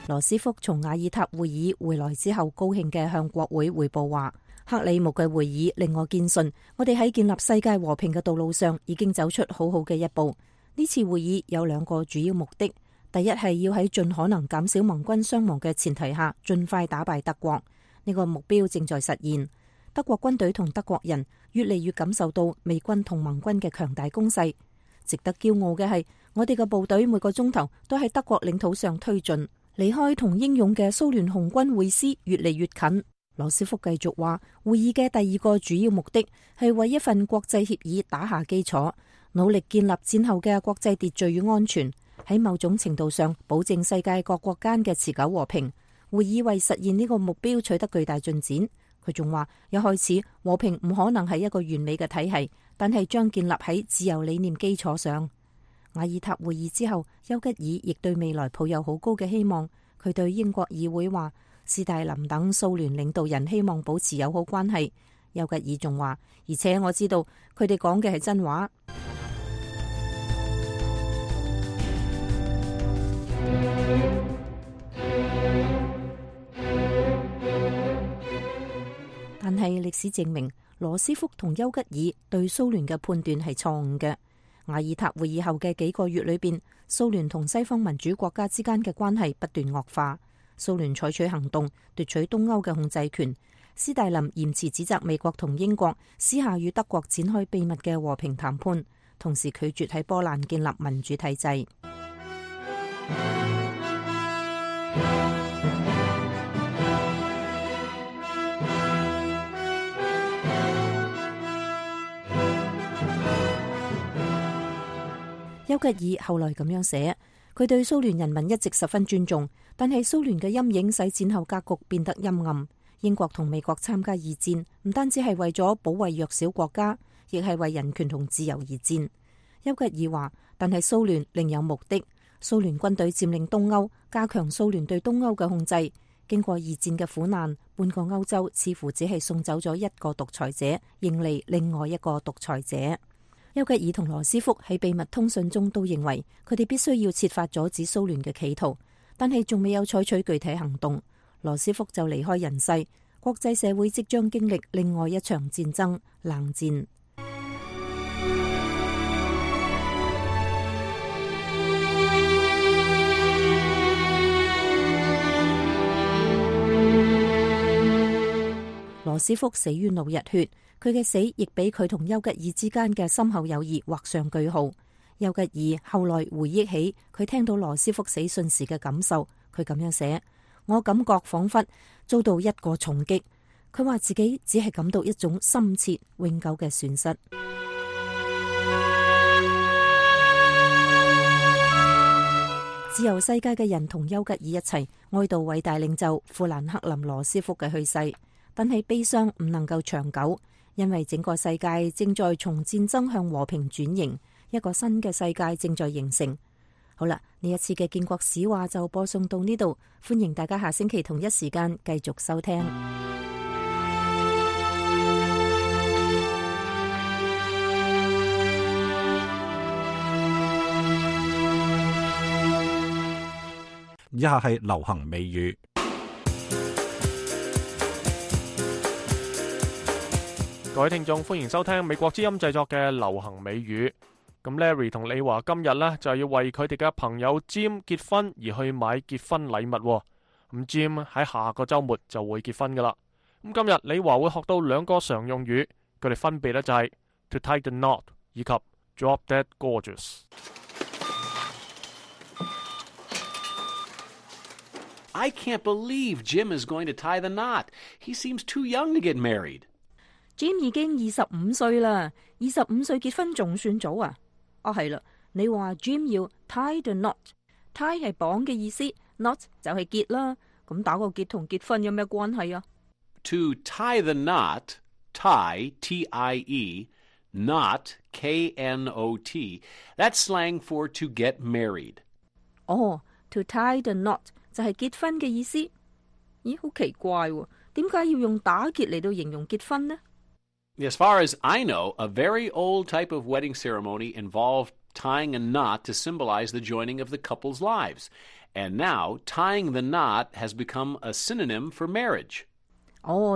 羅斯福從瓦爾塔會議回來之後，高興嘅向國會匯報話：克里木嘅會議令我堅信，我哋喺建立世界和平嘅道路上已經走出好好嘅一步。呢次會議有兩個主要目的，第一係要喺盡可能減少盟軍傷亡嘅前提下，盡快打敗德國。呢個目標正在實現。德國軍隊同德國人越嚟越感受到美軍同盟軍嘅強大攻勢。值得驕傲嘅係，我哋嘅部隊每個鐘頭都喺德國領土上推進，離開同英勇嘅蘇聯紅軍會師越嚟越近。羅斯福繼續話，會議嘅第二個主要目的係為一份國際協議打下基礎，努力建立戰後嘅國際秩序與安全，喺某種程度上保證世界各國間嘅持久和平。會議為實現呢個目標取得巨大進展。佢仲話，一開始和平唔可能係一個完美嘅體系，但係將建立喺自由理念基礎上。瓦爾塔會議之後，丘吉爾亦對未來抱有好高嘅希望。佢對英國議會話，斯大林等蘇聯領導人希望保持友好關係。丘吉爾仲話，而且我知道佢哋講嘅係真話。但係歷史證明，羅斯福同丘吉爾對蘇聯嘅判斷係錯誤嘅。瓦爾塔會議後嘅幾個月裏邊，蘇聯同西方民主國家之間嘅關係不斷惡化。蘇聯採取行動奪取東歐嘅控制權。斯大林嚴詞指責美國同英國私下與德國展開秘密嘅和平談判，同時拒絕喺波蘭建立民主體制。丘吉爾後來咁樣寫，佢對蘇聯人民一直十分尊重，但係蘇聯嘅陰影使戰後格局變得陰暗。英國同美國參加二戰，唔單止係為咗保衛弱小國家，亦係為人權同自由而戰。丘吉爾話，但係蘇聯另有目的。蘇聯軍隊佔領東歐，加強蘇聯對東歐嘅控制。經過二戰嘅苦難，半個歐洲似乎只係送走咗一個獨裁者，迎嚟另外一個獨裁者。丘吉爾同羅斯福喺秘密通訊中都認為，佢哋必須要設法阻止蘇聯嘅企圖，但係仲未有採取具體行動。羅斯福就離開人世，國際社會即將經歷另外一場戰爭——冷戰。羅斯福死於腦溢血。佢嘅死亦俾佢同丘吉爾之間嘅深厚友誼畫上句號。丘吉爾後來回憶起佢聽到羅斯福死訊時嘅感受，佢咁樣寫：我感覺仿佛遭到一個重擊。佢話自己只係感到一種深切永久嘅損失。自由世界嘅人同丘吉爾一齊哀悼偉大領袖富蘭克林羅斯福嘅去世，但係悲傷唔能夠長久。因為整個世界正在從戰爭向和平轉型，一個新嘅世界正在形成。好啦，呢一次嘅建國史話就播送到呢度，歡迎大家下星期同一時間繼續收聽。以下係流行美語。各位聽眾，歡迎收聽美國之音製作嘅流行美語。咁 Larry 同李華今日呢，就要為佢哋嘅朋友 Jim 結婚而去買結婚禮物。咁 Jim 喺下個週末就會結婚噶啦。咁今日李華會學到兩個常用語，佢哋分別呢就係 to tie the knot 以及 drop dead gorgeous。I can't believe Jim is going to tie the knot. He seems too young to get married. Jim 已經25歲啦，25歲結婚仲算早啊？係啦，你話 Jim 要 tie the knot，tie 係綁嘅意思 ，knot 就係結啦。咁打個結同結婚有咩關係啊？ To tie the knot, tie, T-I-E, knot, K-N-O-T. That's slang for to get married. To tie the knot 就係結婚嘅意思。咦，好奇怪喎，點解要用打結嚟到形容結婚呢？ As far as I know, a very old type of wedding ceremony involved tying a knot to symbolize the joining of the couple's lives. And now, tying the knot has become a synonym for marriage.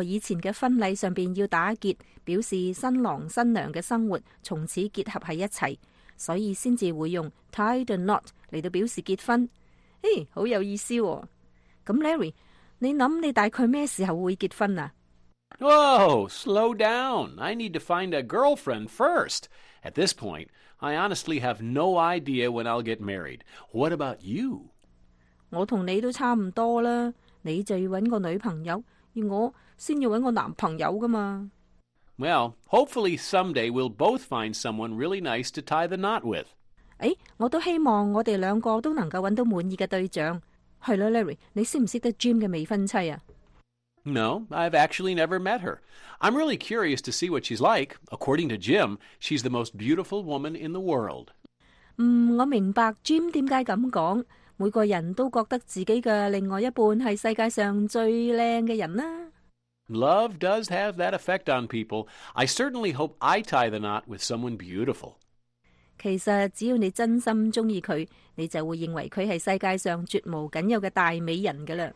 以前嘅婚禮上邊要打結，表示新郎新娘嘅生活從此結合喺一齊，所以先至會用 tie the knot 嚟到表示結婚。好有意思喎。咁 Larry， 你諗你大概咩時候會結婚啊？ Whoa, slow down. I need to find a girlfriend first. At this point, I honestly have no idea when I'll get married. What about you? 我同你都差唔多啦，你就要搵個女朋友，而我先要搵個男朋友噶嘛。Well, hopefully someday we'll both find someone really nice to tie the knot with. 我都希望我哋兩個都能夠搵到滿意嘅對象。係啦 ，Larry， 你識唔識得 Jim 嘅未婚妻啊？ No, I've actually never met her. I'm really curious to see what she's like. According to Jim, she's the most beautiful woman in the world. 我明白 Jim 點解咁講。每個人都覺得自己嘅另外一半係世界上最靚嘅人啦。Love does have that effect on people. I certainly hope I tie the knot with someone beautiful. 其實只要你真心中意佢，你就會認為佢係世界上絕無僅有嘅大美人噶啦。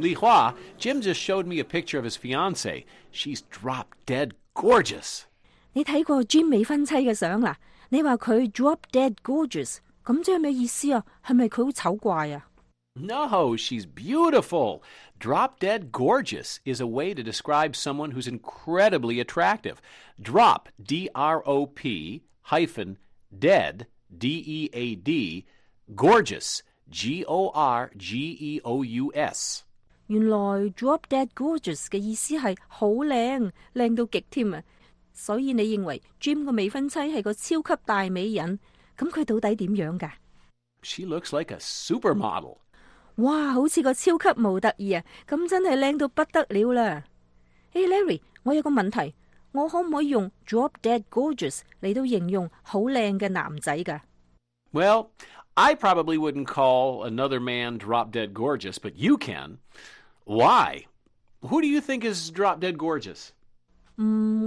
Li Hua, Jim just showed me a picture of his fiancée. She's drop dead gorgeous. 你睇過 Jim 未婚妻嘅相啦？你話佢 drop dead gorgeous， 咁即係咩意思啊？係咪佢好醜怪啊？ No, she's beautiful. Drop dead gorgeous is a way to describe someone who's incredibly attractive. Drop, D-R-O-P, hyphen, dead, D-E-A-D, gorgeous, G-O-R-G-E-O-U-S. 原來 drop dead gorgeous 嘅意思係好靚，靚到極添啊！所以你認為 Jim 個未婚妻係個超級大美人，咁佢到底點樣㗎？ She looks like a supermodel. 哇，好似個超級模特兒啊！咁真係靚到不得了啦！Larry， 我有個問題，我可唔可以用 drop dead gorgeous 嚟到形容好靚嘅男仔㗎？ Well, I probably wouldn't call another man drop dead gorgeous, but you can. Why? Who do you think is drop dead gorgeous?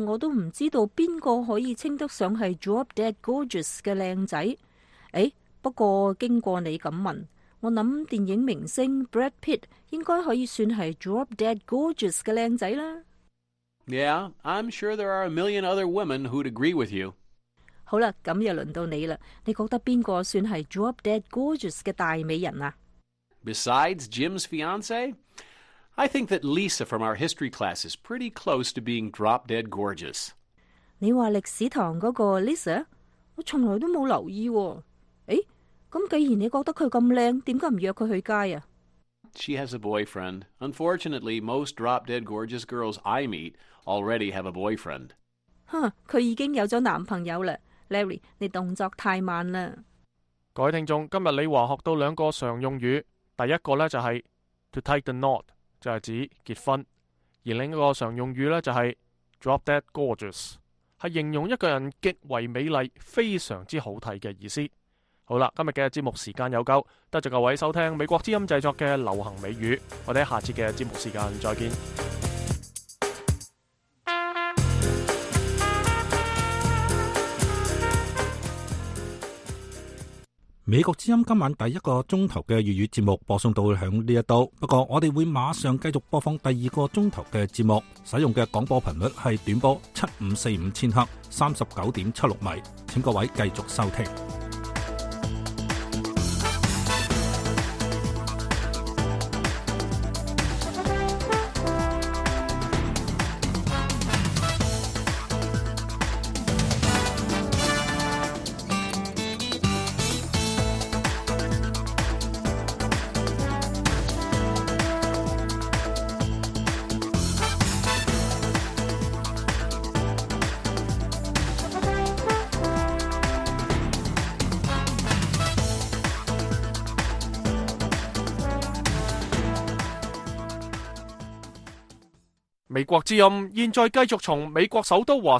我都唔知道邊個可以稱得上係 drop dead gorgeous 嘅靚仔。不過經過你咁問，我諗電影明星 Brad Pitt 應該可以算係 drop dead gorgeous 嘅靚仔啦。Yeah, I'm sure there are a million other women who'd agree with you. 好啦，咁又輪到你啦。你覺得邊個算係 drop dead gorgeous 嘅大美人啊？ Besides Jim's fiancée, I think that Lisa from our history class is pretty close to being drop dead gorgeous. 你話歷史堂嗰個 Lisa， 我從來都冇留意喎。咁既然你覺得佢咁靚，點解唔約佢去街啊？ She has a boyfriend. Unfortunately, most drop dead gorgeous girls I meet already have a boyfriend. 佢已經有咗男朋友啦。Larry， 你動作太慢啦。各位聽眾，今日李華學到兩個常用語，第一個呢就係 to tie the knot， 就係指結婚；而另一個常用語呢就係 drop dead gorgeous，係形容一個人極為美麗、非常之好睇嘅意思。好啦，今日嘅節目時間有夠，多謝各位收聽美國之音製作嘅流行美語，我哋下次嘅節目時間再見。美國之音今晚第1個鐘頭嘅粵語節目播送到響呢一度，不過我哋會馬上繼續播放第2個鐘頭嘅節目，使用嘅廣播頻率係短波7545千赫39.76米，請各位繼續收聽。美國之音現在繼續從美國首都華